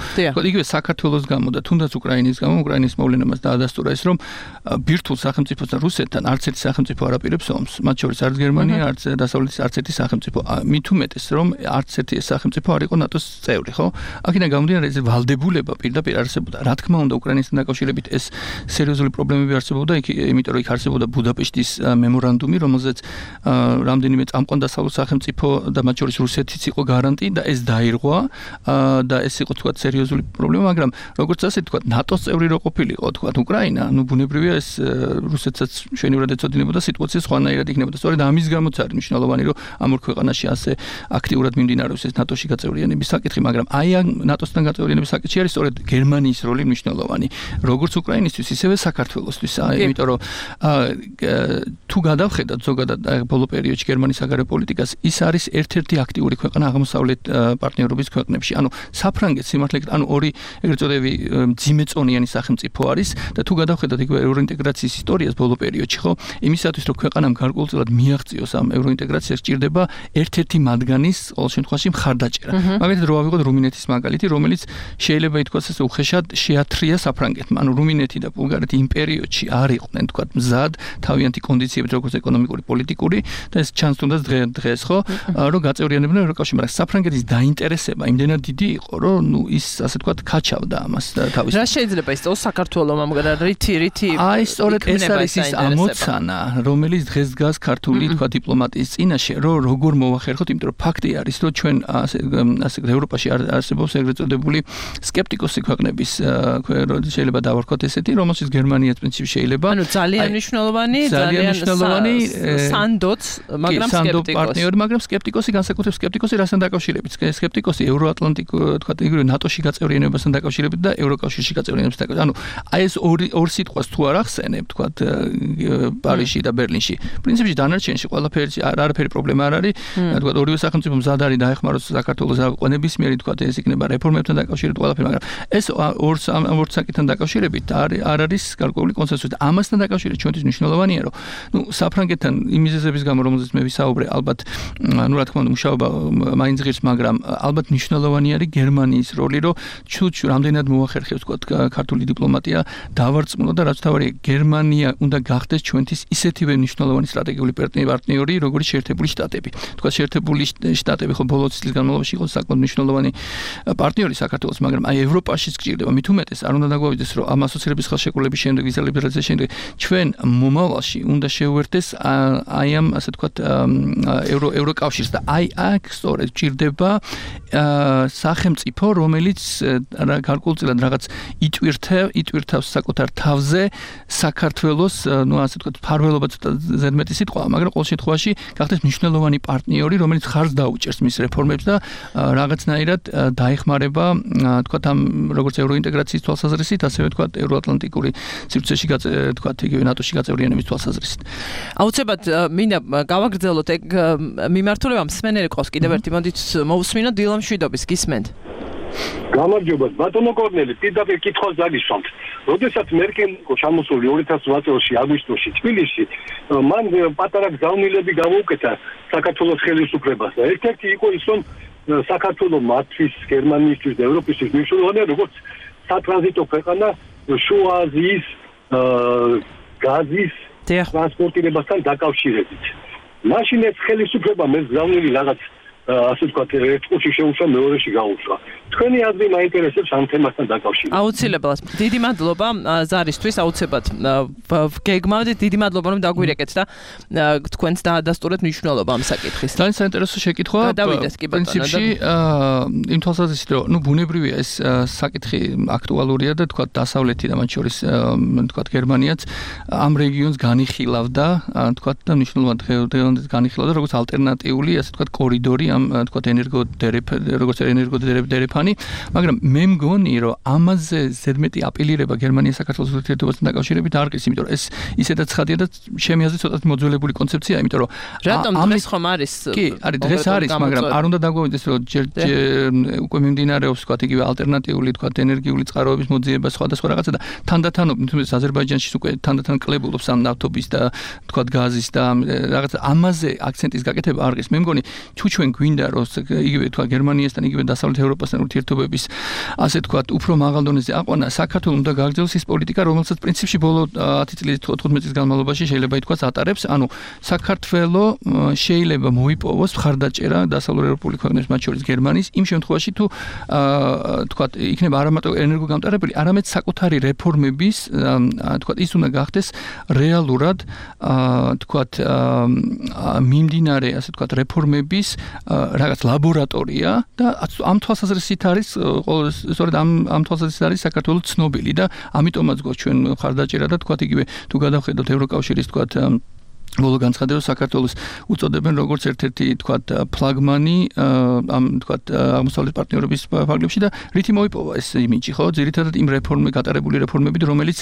იგივე საქართველოს გამო და თუნდაც უკრაინის გამო უკრაინის მოვლენებას დაადასტურა ეს, რომ ბირთვულ სახელმწიფოსთან რუსეთთან არც ერთი სახელმწიფო არ აპირებს ომს. მათ შორის არც გერმანია, არც დასავლეთის არც ერთი სახელმწიფო. მით უმეტეს, რომ არც ერთი ეს სახელმწიფო არ იყო ნატოს წევრი, ხო? აქედან გამომდინარე ეს ვალდებულება პირდაპირ არსებობდა. რა თქმა უნდა, უკრაინასთან დაკავშირებით ეს სერიოზული პრობლემები არსებობდა, იმიტომ რომ იქ არსებობდა ბუდაპეშტის მემორანდუმი, რომელზეც რამდენიმე წამყვან დასავლურ სახელმწიფო და მათ შორის რუსეთიც იყო გარანტი და ეს დაირღვა და ეს იყო თქვა სერიოზული პრობლემა, მაგრამ როგორც ასე თქვა ნატოს წევრი რო ყოფილიყო თქვა უკრაინა, ბუნებრივია ეს რუსეთსაც ჩვენივრად ეცოდინებოდა სიტუაცია სხვანაირად იქნებოდა. სწორედ ამის გამოც არის მნიშვნელოვანი, რომ ამ ორ ქვეყანაში ასე აქტიურად მიმდინარეობს ეს ნატოში გაწევრიანების საკითხი, მაგრამ აი ამ ნატოსთან გაწევრიანების საკითხი არის სწორედ გერმანიის როლი მნიშვნელოვანი, როგორც უკრაინისთვის, ისევე საქართველოსთვის, იმიტომ რომ თუ გადავხედათ ზოგადად ბოლო პერიოდში გერმანიის საგარეო პოლიტიკას, ის არის ერთ-ერთი აქტიური ქვეყანა აღმოსავლეთ პარტნიორობის ქვეყნებში. ანუ საფრანგეთს სიმართლე, ანუ ორი ეგრეთ წოდებული ძიმეწონიანი სახელმწიფო არის და თუ გადავხედათ იგივე ევროინტეგრაციის ისტორიას ბოლო პერიოდში, ხო, იმისათვის რომ ქვეყანამ გარკვეულწილად მიაღწიოს ამ ევროინტეგრაციას, სჭირდება ერთ-ერთი მათგანის ყოველ შემთხვევაში მხარდაჭერა. მაგალითად რო ავიღოთ რუმინეთის მაგალითი, რომელიც შეიძლება ითქვას ასე უხეშად შეათრია საფრანგეთმა. ანუ რუმინეთი და ბულგარეთი იმ პერიოდში არ იყვნენ თქვა მზად თავიანთი კონდიციებით როგორც ეკონომიკური, პოლიტიკური და ეს ჩანს თუნდაც დღეს, ხო, რომ გაწევრიანებდნენ ევროკავშირში, მაგრამ საფრანგეთის დაინტერესება იმდენად დიდი იყო, რომ ის ასე თქვა ქაჩავდა ამას თავის. რა შეიძლება ისწავლოს საქართველოს მაგრამ რითი აი სწორედ ეს არის ის ამოცანა, რომელიც დღეს დგას ქართული თქვა დიპლომატიის წინაშე, რომ როგორ მოვახერხოთ, იმიტომ რომ ფაქტი არის, რომ ჩვენ ასე ევროპაში არსებობს ეგრეთ წოდებული სკეპტიკოსი ქვეყნების შეიძლება დავარქოთ ესეთი, რომელშიც გერმანიაც პრინციპში შეიძლება ანუ ძალიან მნიშვნელოვანი სანდოც, მაგრამ სკეპტიკოსი პარტნიორი, მაგრამ სკეპტიკოსი განსაკუთრებით სკეპტიკოსი რასთან დაკავშირებით? სკეპტიკოსი ევროატლანტიკ თქვა იგივე ნატოში გაწევრიანებასთან დაკავშირებით და ევროკავშირში გაწევრიანებასთან დაკავშირებით. ანუ აი ეს ორ სიტყვას თუ არ ახსენებ, თქვა პარიზში და ბერლინში, პრინციპში დანარჩენში არაფერი პრობლემა არ არის. თქვა ორივე სახელმწიფო მზად არის დაეხმაროს საქართველოს ყენებისმიერი, თქვა ეს იქნება რეფორმებთან დაკავშირებით ყველაფერი, მაგრამ ეს ორ საკითხთან დაკავშირებით არ არის გარკვეული კონსენსუსი. ამასთან დაკავშირებით ჩვენთვის მნიშვნელოვანია, რომ საფრანგეთთან იმ მიზეზების გამო, რომელზეც მე ვისაუბრე, ალბათ რა თქმა უნდა მუშაობა მაინც ღირს, მაგრამ ალბათ მნიშვნელოვანი არის გერმანიის როლი, რომ რამდენად მოახერხებს თქვა ქართული დიპლომატია დავარწმუნო და რაც თავარია გერმანია უნდა გახდეს ჩვენთვის ისეთივე მნიშვნელოვანი სტრატეგიული პარტნიორი, როგორც შეერთებული შტატები. თქვა შეერთებული შტატები ხო ბოლო წლის განმავლობაში იყო საკმაოდ მნიშვნელოვანი პარტნიორი საქართველოს, მაგრამ აი ევროპაშიც გჭირდება. მით უმეტეს არ უნდა დაგვავიდეს, რომ ამ ასოცირების ხელშეკრულების შემდეგ, ვიზა ლიბერალიზაციის შემდეგ ჩვენ მომავალში უნდა შევერთდეს აი ამ ასე თქვა ევროკავშირს და აი აქ სწორედ გჭირდება სახელმწიფო, რომელიც გარკვეულწილად რაღაც იტვირთავს საკუთარ თავზე საქართველოს, ასე თქვა ფარველობა ზედმეტი სიტყვაა, მაგრამ ყოველ შემთხვევაში გახდეს მნიშვნელოვანი პარტნიორი, რომელიც ხარს დაუჭერს მის რეფორმებს და რაღაცნაირად დაეხმარება თქვა ამ როგორც ევროინტეგრაციის თვალსაზრისით, ასევე თქვა ევროატლანტიკური სივრცეში თქვა იგივე ნატოში გაწევრიანების თვალსაზრისით. აუცილებლად მინდა გავაგრძელოთ ეგ მიმართულება მსმენელი ყავს კიდევ ერთი, მოდით მოусმინოთ დილა მშვიდობის, გისმენთ. გამარჯობა, ბატონო კორნელი, პირდაპირ კითხვას დაგისვამთ. როდესაც მერკელი იყო ჩამოსული 2008 წელს აგვისტოში თბილისში, მან პატარა გზავნილები გამოუკეთა საქართველოს ხელისუფლებას და ერთ-ერთი იყო ის, რომ საქართველოს მათთვის, გერმანიისთვის და ევროპისთვის მნიშვნელოვანია, როგორც სატრანზიტო ქვეყანა შუა აზიის გაზის ტრანსპორტირებასთან დაკავშირებით. მაშინ ეს ხელისუფლება მე გზავნილი რაღაც ასე ვთქვათ, ერთ ყუთში შეუშვა, მეორეში გაუშვა. თქვენი აზრი მაინტერესებს ამ თემასთან დაკავშირებით. აუცილებლად. დიდი მადლობა ზარისთვის, აუცილებლად გეგმავდით, დიდი მადლობა რომ დაგვირეკეთ და თქვენც დაადასტურეთ მნიშვნელობა ამ საკითხის. ძალიან საინტერესო შეკითხვა. გადავიდეს კი ბატონო. პრინციპში იმ თვალსაზრისით, რომ ბუნებრივია ეს საკითხი აქტუალურია და თქვა დასავლეთი და მათ შორის თქვა გერმანიაც ამ რეგიონს განიხილავდა, თქვა და მნიშვნელოვნად დღევანდელ განიხილავდა როგორც ალტერნატიული, ასე თქვა კორიდორი ამ თქვა როგორც ენერგოდერეფანი, მაგრამ მე მგონი რომ ამაზე ზედმეტი აპელირება გერმანიის საქართველოს ურთიერთობასთან დაკავშირებით არ არის, იმიტომ რომ ეს ისედაც ხადია და ჩემი აზრით ცოტათი მოძველებული კონცეფციაა, იმიტომ რომ რატომ დღეს ხომ არის? კი, არის დღეს არის, მაგრამ არ უნდა დაგვავიდეს რომ უკვე მიმდინარეობს თქვა იგივე ალტერნატიული თქვა ენერგიული წყაროების მოძიება სხვადასხვა რაღაცა და თანდათანობით თუმცა აზერბაიჯანში უკვე თანდათან კლებულობს ამ ნავთობის და თქვა გაზის და რაღაცა ამაზე აქცენტის გაკეთება არ არის. მე მგონი თუ ჩვენ გვინდა რომ იგივე თქვა გერმანიასთან იგივე დასავლეთ ევროპასთან ურთიერთობების ასე თქვა უფრო მაღალ დონეზე აყვანა საქართველოს უნდა გააგრძელოს ის პოლიტიკა რომელსაც პრინციპში ბოლო 10 წლის 15 წლის განმავლობაში შეიძლება ითქვას ატარებს ანუ საქართველოს შეიძლება მოიპოვოს მხარდაჭერა დასავლურ ევროპული ქვეყნებს მათ შორის გერმანიის იმ შემთხვევაში თუ თქვა იქნება არა მარტო ენერგოგამტარებელი არამედ საკუთარი რეფორმების თქვა ის უნდა გახდეს რეალურად თქვა მიმდინარე ასე თქვა რეფორმების რაღაც ლაბორატორია და ამ თვალსაზრისით არის სწორედ ამ თვალსაზრისით არის საქართველოს ცნობილი და ამიტომაც გვაქვს ჩვენ მხარდაჭერა და თქვა იგივე თუ გადავხედოთ ევროკავშირის თქვა ბოლო განცხადებას საქართველოს უწოდებენ როგორც ერთ-ერთი თქვა ფლაგმანი ამ თქვა აღმოსავლეთ პარტნიორობის ფარგლებში და რითი მოიპოვა ეს იმიჯი ხო ძირითადად იმ გატარებული რეფორმებით რომელიც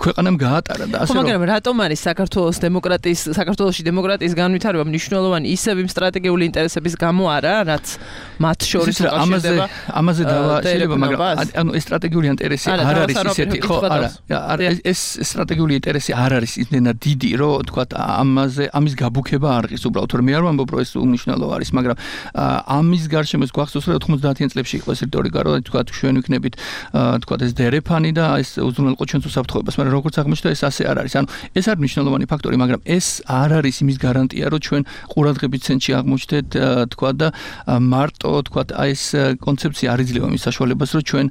ქვეყანამ გაატარა და ასე რომ მაგრამ რატომ არის საქართველოში დემოკრატიის განვითარება მნიშვნელოვანი ისევ იმ სტრატეგიული ინტერესების გამო არა რაც მათ შორის უკავშირდება ამაზე დავა შეიძლება მაგრამ ანუ ეს სტრატეგიული ინტერესი არ არის ისეთი ხო არა ეს სტრატეგიული ინტერესი არ არის იმდენად დიდი რომ თქვა ამის გაბუქება არ ღირს უბრალოდ რომ მე არ ვამბობ რომ ეს უნიშნელო არის მაგრამ ამის გარშემო ეს გვახსოვს რომ 90-იან წლებში იყო ეს რიტორიკა რომ თქვა ჩვენ ვიქნებით თქვა ეს დერეფანი და ეს უზრუნველყო ჩვენს უსაფრთხოებას მაგრამ როგორც აღმოჩნდა ეს ასე არ არის ანუ ეს არის მნიშვნელოვანი ფაქტორი მაგრამ ეს არ არის იმის გარანტია რომ ჩვენ ყურადღების ცენტრში აღმოჩნდეთ თქვა და მარტო თქვა ეს კონცეფცია არ იძლევა იმის საშუალებას რომ ჩვენ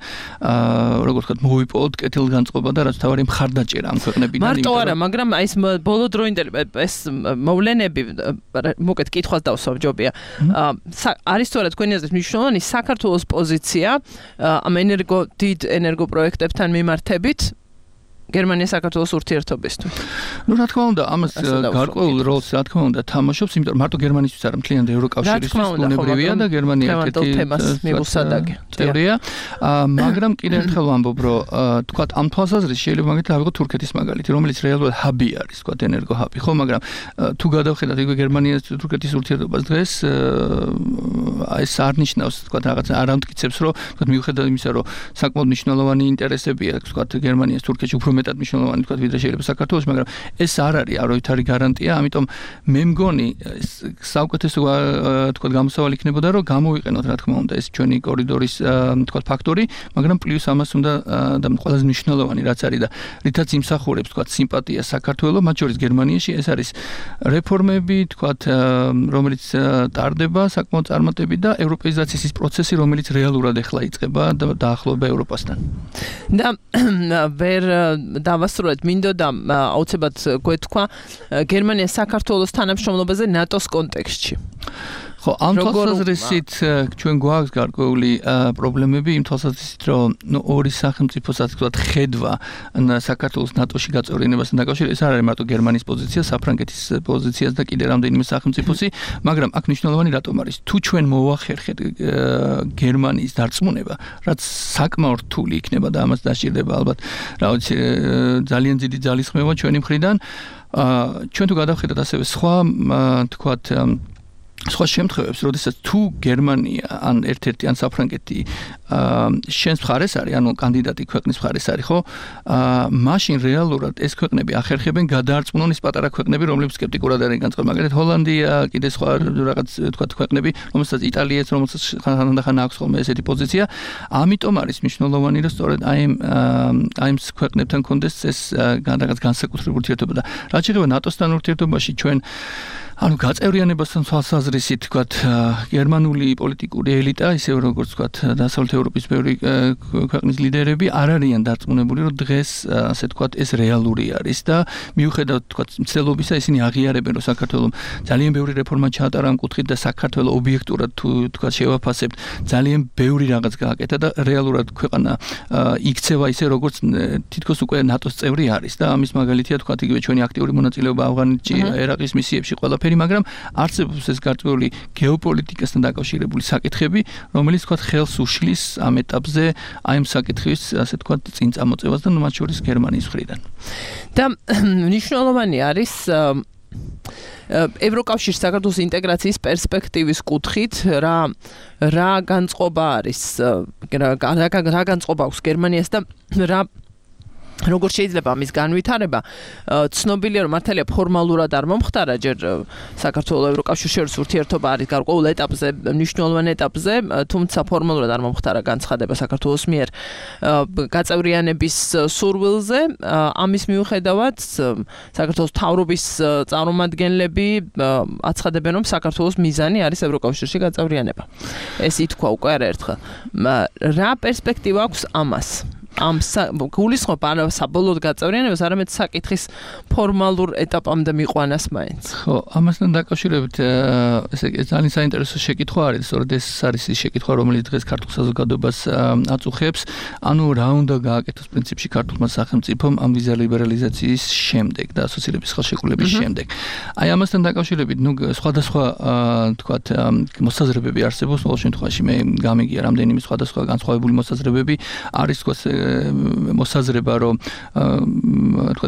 როგორც ვთქვათ მოვიპოვოთ კეთილგანწყობა და რაც თავარი მხარდაჭერა ამ ქვეყნებიდან მარტო არა მაგრამ აი ეს ბოლო დროინდელი ეს მოვლენები მოკეთ კითხვას დავსვამ ჯობია არის თუ არა თქვენი აზრით მნიშვნელოვანი საქართველოს პოზიცია ამ დიდ ენერგოპროექტებთან მიმართებით გერმანია საქართველოს ურთიერთობისთვის. ნუ რა თქმა უნდა, ამას გარკვეულ როლს რა თქმა უნდა თამაშობს, იმიტომ რომ მარტო გერმანისთვის არა, მთლიანად ევროკავშირისთვის უნებრივია და გერმანია ერთ-ერთი თემას მიგუსადაგე. წევრია. მაგრამ კიდევ ერთხელ ვამბობ, რომ თქვათ ამ თვალსაზრისით შეიძლება მაგალითად ავიღოთ თურქეთის მაგალითი, რომელიც რეალურად ჰაბი არის, თქვათ ენერგო ჰაბი, ხო, მაგრამ თუ გადავხედათ იგივე გერმანიას თურქეთის ურთიერთობას დღეს ეს არ ნიშნავს, თქვათ რაღაც არ ამტკიცებს, რომ თქვათ მიუხედავად იმისა, რომ საკმაოდ მნიშვნელოვანი ინტერესები აქვს, თქვათ გერმანიას თურქეთში უფრო მეტად მნიშვნელოვანი თქვა ვიდრე შეიძლება საქართველოს, მაგრამ ეს არ არის არავითარი გარანტია, ამიტომ მე მგონი საუკეთესო თქვა გამოსავალი იქნებოდა, რომ გამოვიყენოთ რა თქმა უნდა ეს ჩვენი კორიდორის თქვა ფაქტორი, მაგრამ პლუს ამას უნდა და ყველაზე მნიშვნელოვანი რაც არის და რითაც იმსახურებს თქვა სიმპათია საქართველოს, მათ შორის გერმანიაში ეს არის რეფორმები, თქვა რომელიც ტარდება საკმაოდ წარმატებით და ევროპეიზაციის ის პროცესი, რომელიც რეალურად ახლა იწყება და დაახლოება ევროპასთან. და ვერ დავასრულეთ მინდოდა აუცილებლად გვეთქვა გერმანია საქართველოს თანამშრომლობაზე ნატოს კონტექსტში. ხო, ამ თვალსაზრისით ჩვენ გვაქვს გარკვეული პრობლემები იმ თვალსაზრისით, რომ ორი სახელმწიფოსაც ვთქვათ ხედვა საქართველოს ნატოში გაწევრიანებასთან დაკავშირებით, ეს არ არის მარტო გერმანიის პოზიცია, საფრანგეთის პოზიციაც და კიდე რამდენიმე სახელმწიფოსი, მაგრამ აქ მნიშვნელოვანი რატომ არის? თუ ჩვენ მოვახერხეთ გერმანიის დარწმუნება, რაც საკმაოდ რთული იქნება და ამას დასჭირდება ალბათ რაღაც ძალიან დიდი ძალისხმევა ჩვენი მხრიდან, ჩვენ თუ გადავხედოთ ასევე სხვა თქვათ სხვა შემთხვევებს, როდესაც თუ გერმანია ან ერთ-ერთი ან საფრანგეთი შენს მხარეს არის, ანუ კანდიდატი ქვეყნის მხარეს არის, ხო? მაშინ რეალურად ეს ქვეყნები ახერხებენ გადაარწმუნონ ის პატარა ქვეყნები, რომლებიც სკეპტიკურად არიან განწყობილი. მაგალითად, ჰოლანდია, კიდე სხვა რაღაც თქვა ქვეყნები, რომელსაც იტალიაც, რომელსაც ხანდახან აქვს ხოლმე ესეთი პოზიცია. ამიტომ არის მნიშვნელოვანი, რომ სწორედ აი ამ ქვეყნებთან კონდეს ეს რაღაც განსაკუთრებული ურთიერთობა და რაც შეეხება ნატოსთან ურთიერთობაში ჩვენ ანუ გაწევრიანებასთან თვალსაზრისით თქვათ გერმანული პოლიტიკური ელიტა, ისე როგორც თქვათ დასავლეთ ევროპის ბევრი ქვეყნის ლიდერები არ არიან დარწმუნებული, რომ დღეს ასე თქვათ ეს რეალური არის და მიუხედავად თქვათ მცდელობისა ისინი აღიარებენ, რომ საქართველოს ძალიან ბევრი რეფორმა ჩაატარა ამ კუთხით და საქართველოს ობიექტურად თუ თქვათ შევაფასებთ, ძალიან ბევრი რაღაც გააკეთა და რეალურად ქვეყანა იქცევა ისე როგორც თითქოს უკვე ნატოს წევრი არის და ამის მაგალითია თქვათ იგივე ჩვენი აქტიური მონაწილეობა ავღანეთში, ერაყის მისიებში ყველაფერი მაგრამ არსებობს ეს გარკვეული გეოპოლიტიკასთან დაკავშირებული საკითხები, რომელიც თქვათ ხელს უშლის ამ ეტაპზე აი ამ საკითხის ასე თქვათ წინ წამოწევას და მათ შორის გერმანიის მხრიდან. და მნიშვნელოვანი არის ევროკავშირის საქართველოს ინტეგრაციის პერსპექტივის კუთხით რა განწყობა არის, რა განწყობა აქვს გერმანიას და რა როგორ შეიძლება ამის განვითარება ცნობილია რომ მართალია ფორმალურად არ მომხდარა ჯერ საქართველოს ევროკავშირის შორის ურთიერთობა არის გარკვეულ ეტაპზე მნიშვნელოვან ეტაპზე თუმცა ფორმალურად არ მომხდარა განცხადება საქართველოს მიერ გაწევრიანების სურვილზე ამის მიუხედავად საქართველოს მთავრობის წარმომადგენლები აცხადებენ რომ საქართველოს მიზანი არის ევროკავშირში გაწევრიანება ეს ითქვა უკვე არაერთხელ რა პერსპექტივა აქვს ამას ამ გულისხმობ საბოლოოდ გაწევრიანებას არამედ საკითხის ფორმალურ ეტაპამდე მიყვანას მაინც. ხო, ამასთან დაკავშირებით ესე ძალიან საინტერესო შეკითხვა არის, სწორედ ეს არის ის შეკითხვა, რომელიც დღეს ქართულ საზოგადოებას აწუხებს, ანუ რა უნდა გააკეთოს პრინციპში ქართულმა სახელმწიფომ ამ ვიზა ლიბერალიზაციის შემდეგ და ასოცირების ხელშეკრულების შემდეგ. აი ამასთან დაკავშირებით, სხვადასხვა თქვათ მოსაზრებები არსებობს, ყოველ შემთხვევაში მე გამიგია რამდენიმე სხვადასხვა განსხვავებული მოსაზრებები არის თქვათ მოსაზრება რომ თქვა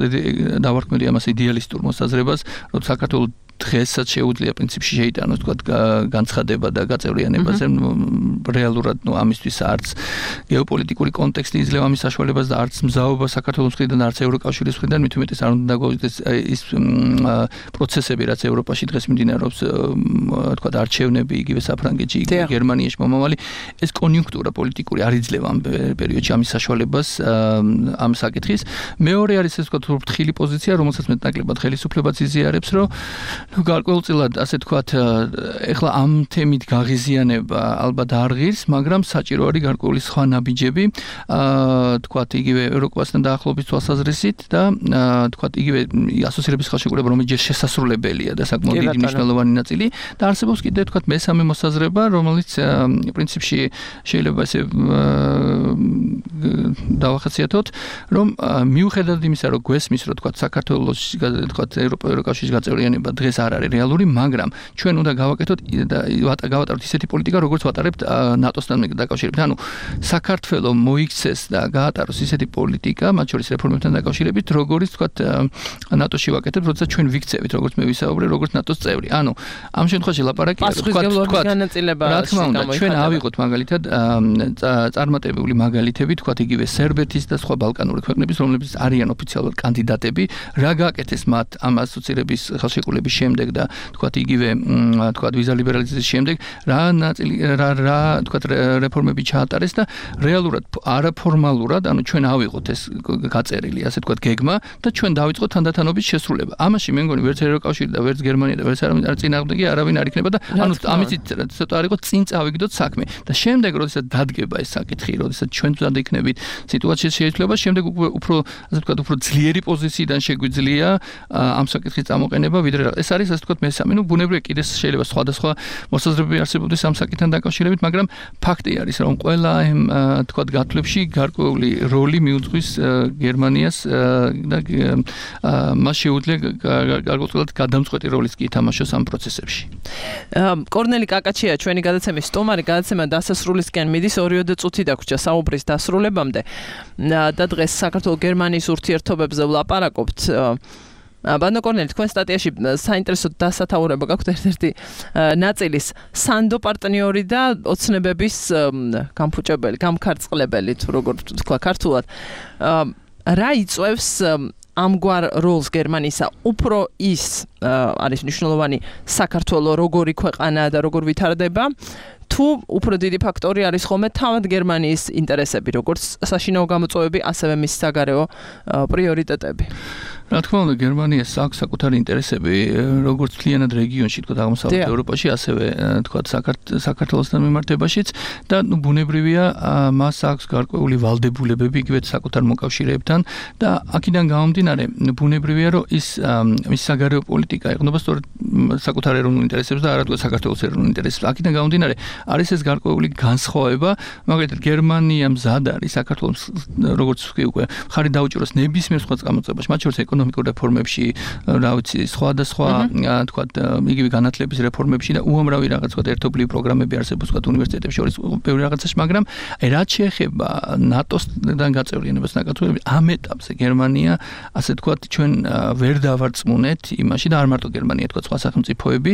დავარქმევი ამას იდეალისტურ მოსაზრებას რომ საქართველოს დღესაც შეუძლია პრინციპში შეიტანოს თქვა განცხადება და გაწევრიანებაზე რეალურად ამისთვის არც გეოპოლიტიკური კონტექსტი იძლევა ამის საშუალებას და არც მზაობა საქართველოს მხრიდან არც ევროკავშირის მხრიდან მით უმეტეს არ უნდა დაგვაუწყდეს ის პროცესები რაც ევროპაში დღეს მიმდინარეობს თქვა არჩევნები იგივე საფრანგეთში იგივე გერმანიაში მომავალი ეს კონიუნქტურა პოლიტიკური არ იძლევა ამ პერიოდში ამის საშუალებას ამ საკითხის მეორე არის ეს თქვა ფრთხილი პოზიცია რომელსაც მეტნაკლებად ხელისუფლებაც იზიარებს რომ გარკვეულწილად ასე თქვათ ეხლა ამ თემით გაღიზიანება ალბათ არ ღირს მაგრამ საჭირო არის გარკვეული სხვა ნაბიჯები თქვათ იგივე ევროკავშირთან დაახლოების თვალსაზრისით და თქვათ იგივე ასოცირების ხელშეკრულება რომელიც ჯერ შესასრულებელია და საკმაოდ დიდი მნიშვნელოვანი ნაწილი და არსებობს კიდე თქვათ მესამე მოსაზრება რომელიც პრინციპში შეიძლება ესე დავახასიათოთ რომ მიუხედავად იმისა რომ გვესმის რომ თქვათ საქართველოს თქვათ ევროკავშირის გაწევრიანება დღეს არ არის რეალური, მაგრამ ჩვენ უნდა გავაკეთოთ და გავატაროთ ისეთი პოლიტიკა, როგორც ვატარებთ ნატოსთან დაკავშირებით. ანუ საქართველოს მოიქცეს და გაატაროს ისეთი პოლიტიკა, მათ შორის რეფორმებთან დაკავშირებით, როგორც თქვათ ნატოში ვაკეთებთ, როდესაც ჩვენ ვიქცევით, როგორც მე ვისაუბრე, როგორც ნატოს წევრი. ანუ ამ შემთხვევაში ლაპარაკია თქვათ რა თქმა უნდა, ჩვენ ავიღოთ მაგალითად წარმატებული მაგალითები, თქვათ იგივე სერბეთის და სხვა ბალკანური ქვეყნების, რომლებიც არიან ოფიციალურად კანდიდატები, რა გააკეთეს მათ ამ ასოცირების ხელშეკრულების შემდეგ და თქვათ იგივე თქვათ ვიზა ლიბერალიზაციის შემდეგ რა თქვათ რეფორმები ჩაატარეს და რეალურად არაფორმალურად ანუ ჩვენ ავიღოთ ეს გაწერილი ასე თქვათ გეგმა და ჩვენ დავიწყოთ თანდათანობის შესრულება. ამაში მე მგონი ვერც ევროკავშირი და ვერც გერმანია და ვერც არ წინააღმდეგი არავინ არ იქნება და ანუ ამით ცოტა არ იყო წინ წავიგდოთ საქმე და შემდეგ როდესაც დადგება ეს საკითხი, როდესაც ჩვენ თუნდაც იქნებით სიტუაციის შეიძლება შემდეგ უფრო ასე თქვათ უფრო ძლიერი პოზიციიდან შეგვიძლია ამ საკითხის წამოყენება ვიდრე ეს არის ასე თქვათ მესამე, ну ბუნებრივია კიდე შეიძლება სხვადასხვა მოსაზრებები არსებობდეს ამ საკითხთან დაკავშირებით, მაგრამ ფაქტი არის რომ ყველა თქვათ გათვლებში გარკვეული როლი მიუძღვის გერმანიას და მას შეუძლია გარკვეულად გადამწყვეტი როლის კი ითამაშოს ამ პროცესებში. კორნელი კაკაჩია ჩვენი გადაცემის სტუმარი, გადაცემა დასასრულისკენ მიდის 2 წუთი დაგვრჩა საუბრის დასრულებამდე და დღეს საქართველოს გერმანიის ურთიერთობებზე ვლაპარაკობთ. ბანო კორნელი, თქვენ სტატიაში საინტერესო დასათაურება გაქვთ ერთ-ერთი ნაწილის სანდო პარტნიორი და ოცნებების გამფუჭებელი, გამქარწყლებელი, თუ როგორ თქვა ქართულად. რა იწევს ამგვარ როლს გერმანისა უფრო ის არის მნიშვნელოვანი საქართველოს როგორი ქვეყანაა და როგორ ვითარდება თუ უფრო დიდი ფაქტორი არის ხოლმე თავად გერმანიის ინტერესები, როგორც საშინაო გამოწვევები, ასევე მის საგარეო პრიორიტეტები. რა თქმა უნდა, გერმანიას აქვს საკუთარი ინტერესები, როგორც მთლიანად რეგიონში, თქვა აღმოსავლეთ ევროპაში, ასევე თქვა საქართველოსთან მიმართებაშიც და ბუნებრივია, მას აქვს გარკვეული ვალდებულებები იგივე საკუთარ მოკავშირეებთან და აქედან გამომდინარე, ბუნებრივია, რომ მის საგარეო პოლიტიკა ეყრდნობა სწორედ საკუთარ ეროვნულ ინტერესებს და არა თქვა საქართველოს ეროვნულ ინტერესებს. აქედან გამომდინარე, არის ეს გარკვეული განსხვავება, მაგალითად გერმანია მზად არის საქართველოს როგორც უკვე ხარი დაუჭიროს ნებისმიერ სხვა გამოწვევაში, მათ შორის ეკონომიკურ რეფორმებში, რა ვიცი, სხვადასხვა თქვათ იგივე განათლების რეფორმებში და უამრავი რაღაც თქვათ ერთობლივი პროგრამები არსებობს თქვათ უნივერსიტეტებში შორის ბევრი რაღაცაში, მაგრამ რაც შეეხება ნატოსთან გაწევრიანებას ნაკაცობრიობის ამ ეტაპზე გერმანია ასე თქვათ ჩვენ ვერ დავარწმუნეთ იმაში და არ მარტო გერმანია თქვათ სხვა სახელმწიფოები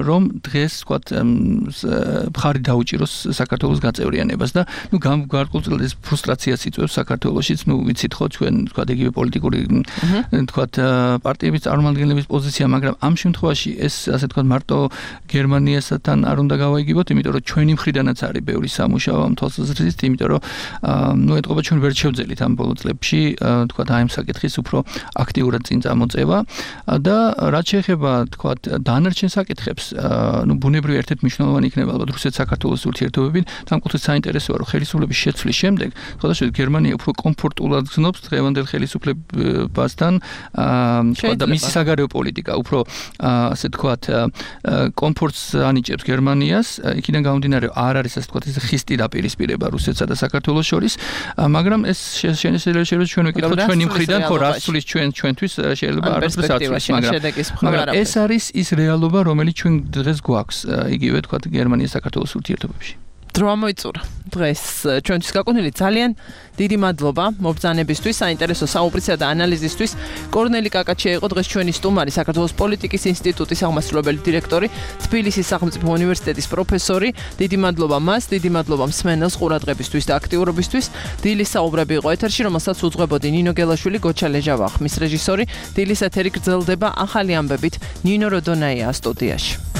რომ დღეს თქვათ მხარი დაუჭიროს საქართველოს გაწევრიანებას და ნუ გარკვეულწილად ეს ფრუსტრაციას იწვევს საქართველოშიც ნუ ვიცით ხო ჩვენ თქვათ იგივე პოლიტიკური თქვათ პარტიების წარმომადგენლების პოზიცია მაგრამ ამ შემთხვევაში ეს ასე თქვათ მარტო გერმანიასთან არ უნდა გავაიგებოთ იმიტომ რომ ჩვენი მხრიდანაც არის ბევრი სამუშაო ამ თვალსაზრისით იმიტომ რომ ნუ ეთყობა ჩვენ ვერ შევძელით ამ ბოლო წლებში თქვათ აი ამ საკითხის უფრო აქტიურად წინ წამოწევა და რაც შეეხება თქვათ დანარჩენ საკითხებს ნუ ბუნებრივი ერთ-ერთი მნიშვნელოვანი იქნება ალბათ რუსეთ-საქართველოს ურთიერთობები და ამ კუთხით საინტერესოა რომ ხელისუფლების შეცვლის შემდეგ ხოდაშეც გერმანია უფრო კომფორტულად გზნობს დღევანდელ ხელისუფლებასთან და მისი საგარეო პოლიტიკა უფრო ასე თქვათ კომფორტს ანიჭებს გერმანიას იქიდან გამომდინარე არ არის ასე თქვათ ეს ხისტი დაპირისპირება რუსეთსა და საქართველოს შორის მაგრამ ეს შეიძლება ჩვენ ვიკითხოთ ჩვენი მხრიდან ხო რა სulis ჩვენთვის შეიძლება არასდროს არ სulis მაგრამ ეს არის ის რეალობა რომელიც ჩვენ დღეს გვაქვს იგივე თქვათ გერმანიის საქართველოს ურთიერთობებში დრო მოიწურა დღეს ჩვენთვის გაკუთვნილი ძალიან დიდი მადლობა მობრძანებისთვის საინტერესო საუბრისა და ანალიზისთვის კორნელი კაკაჩია იყო დღეს ჩვენი სტუმარი საქართველოს პოლიტიკის ინსტიტუტის აღმასრულებელი დირექტორი თბილისის სახელმწიფო უნივერსიტეტის პროფესორი დიდი მადლობა მას დიდი მადლობა მსმენელს ყურადღებისთვის და აქტიურობისთვის დილის საუბრები იყო ეთერში რომელსაც უძღვებოდი ნინო გელაშვილი გოჩა ლეჟავა ხმის რეჟისორი დილის ეთერი გრძელდება ახალი ამბებით ნინო როდონაია სტუდიაში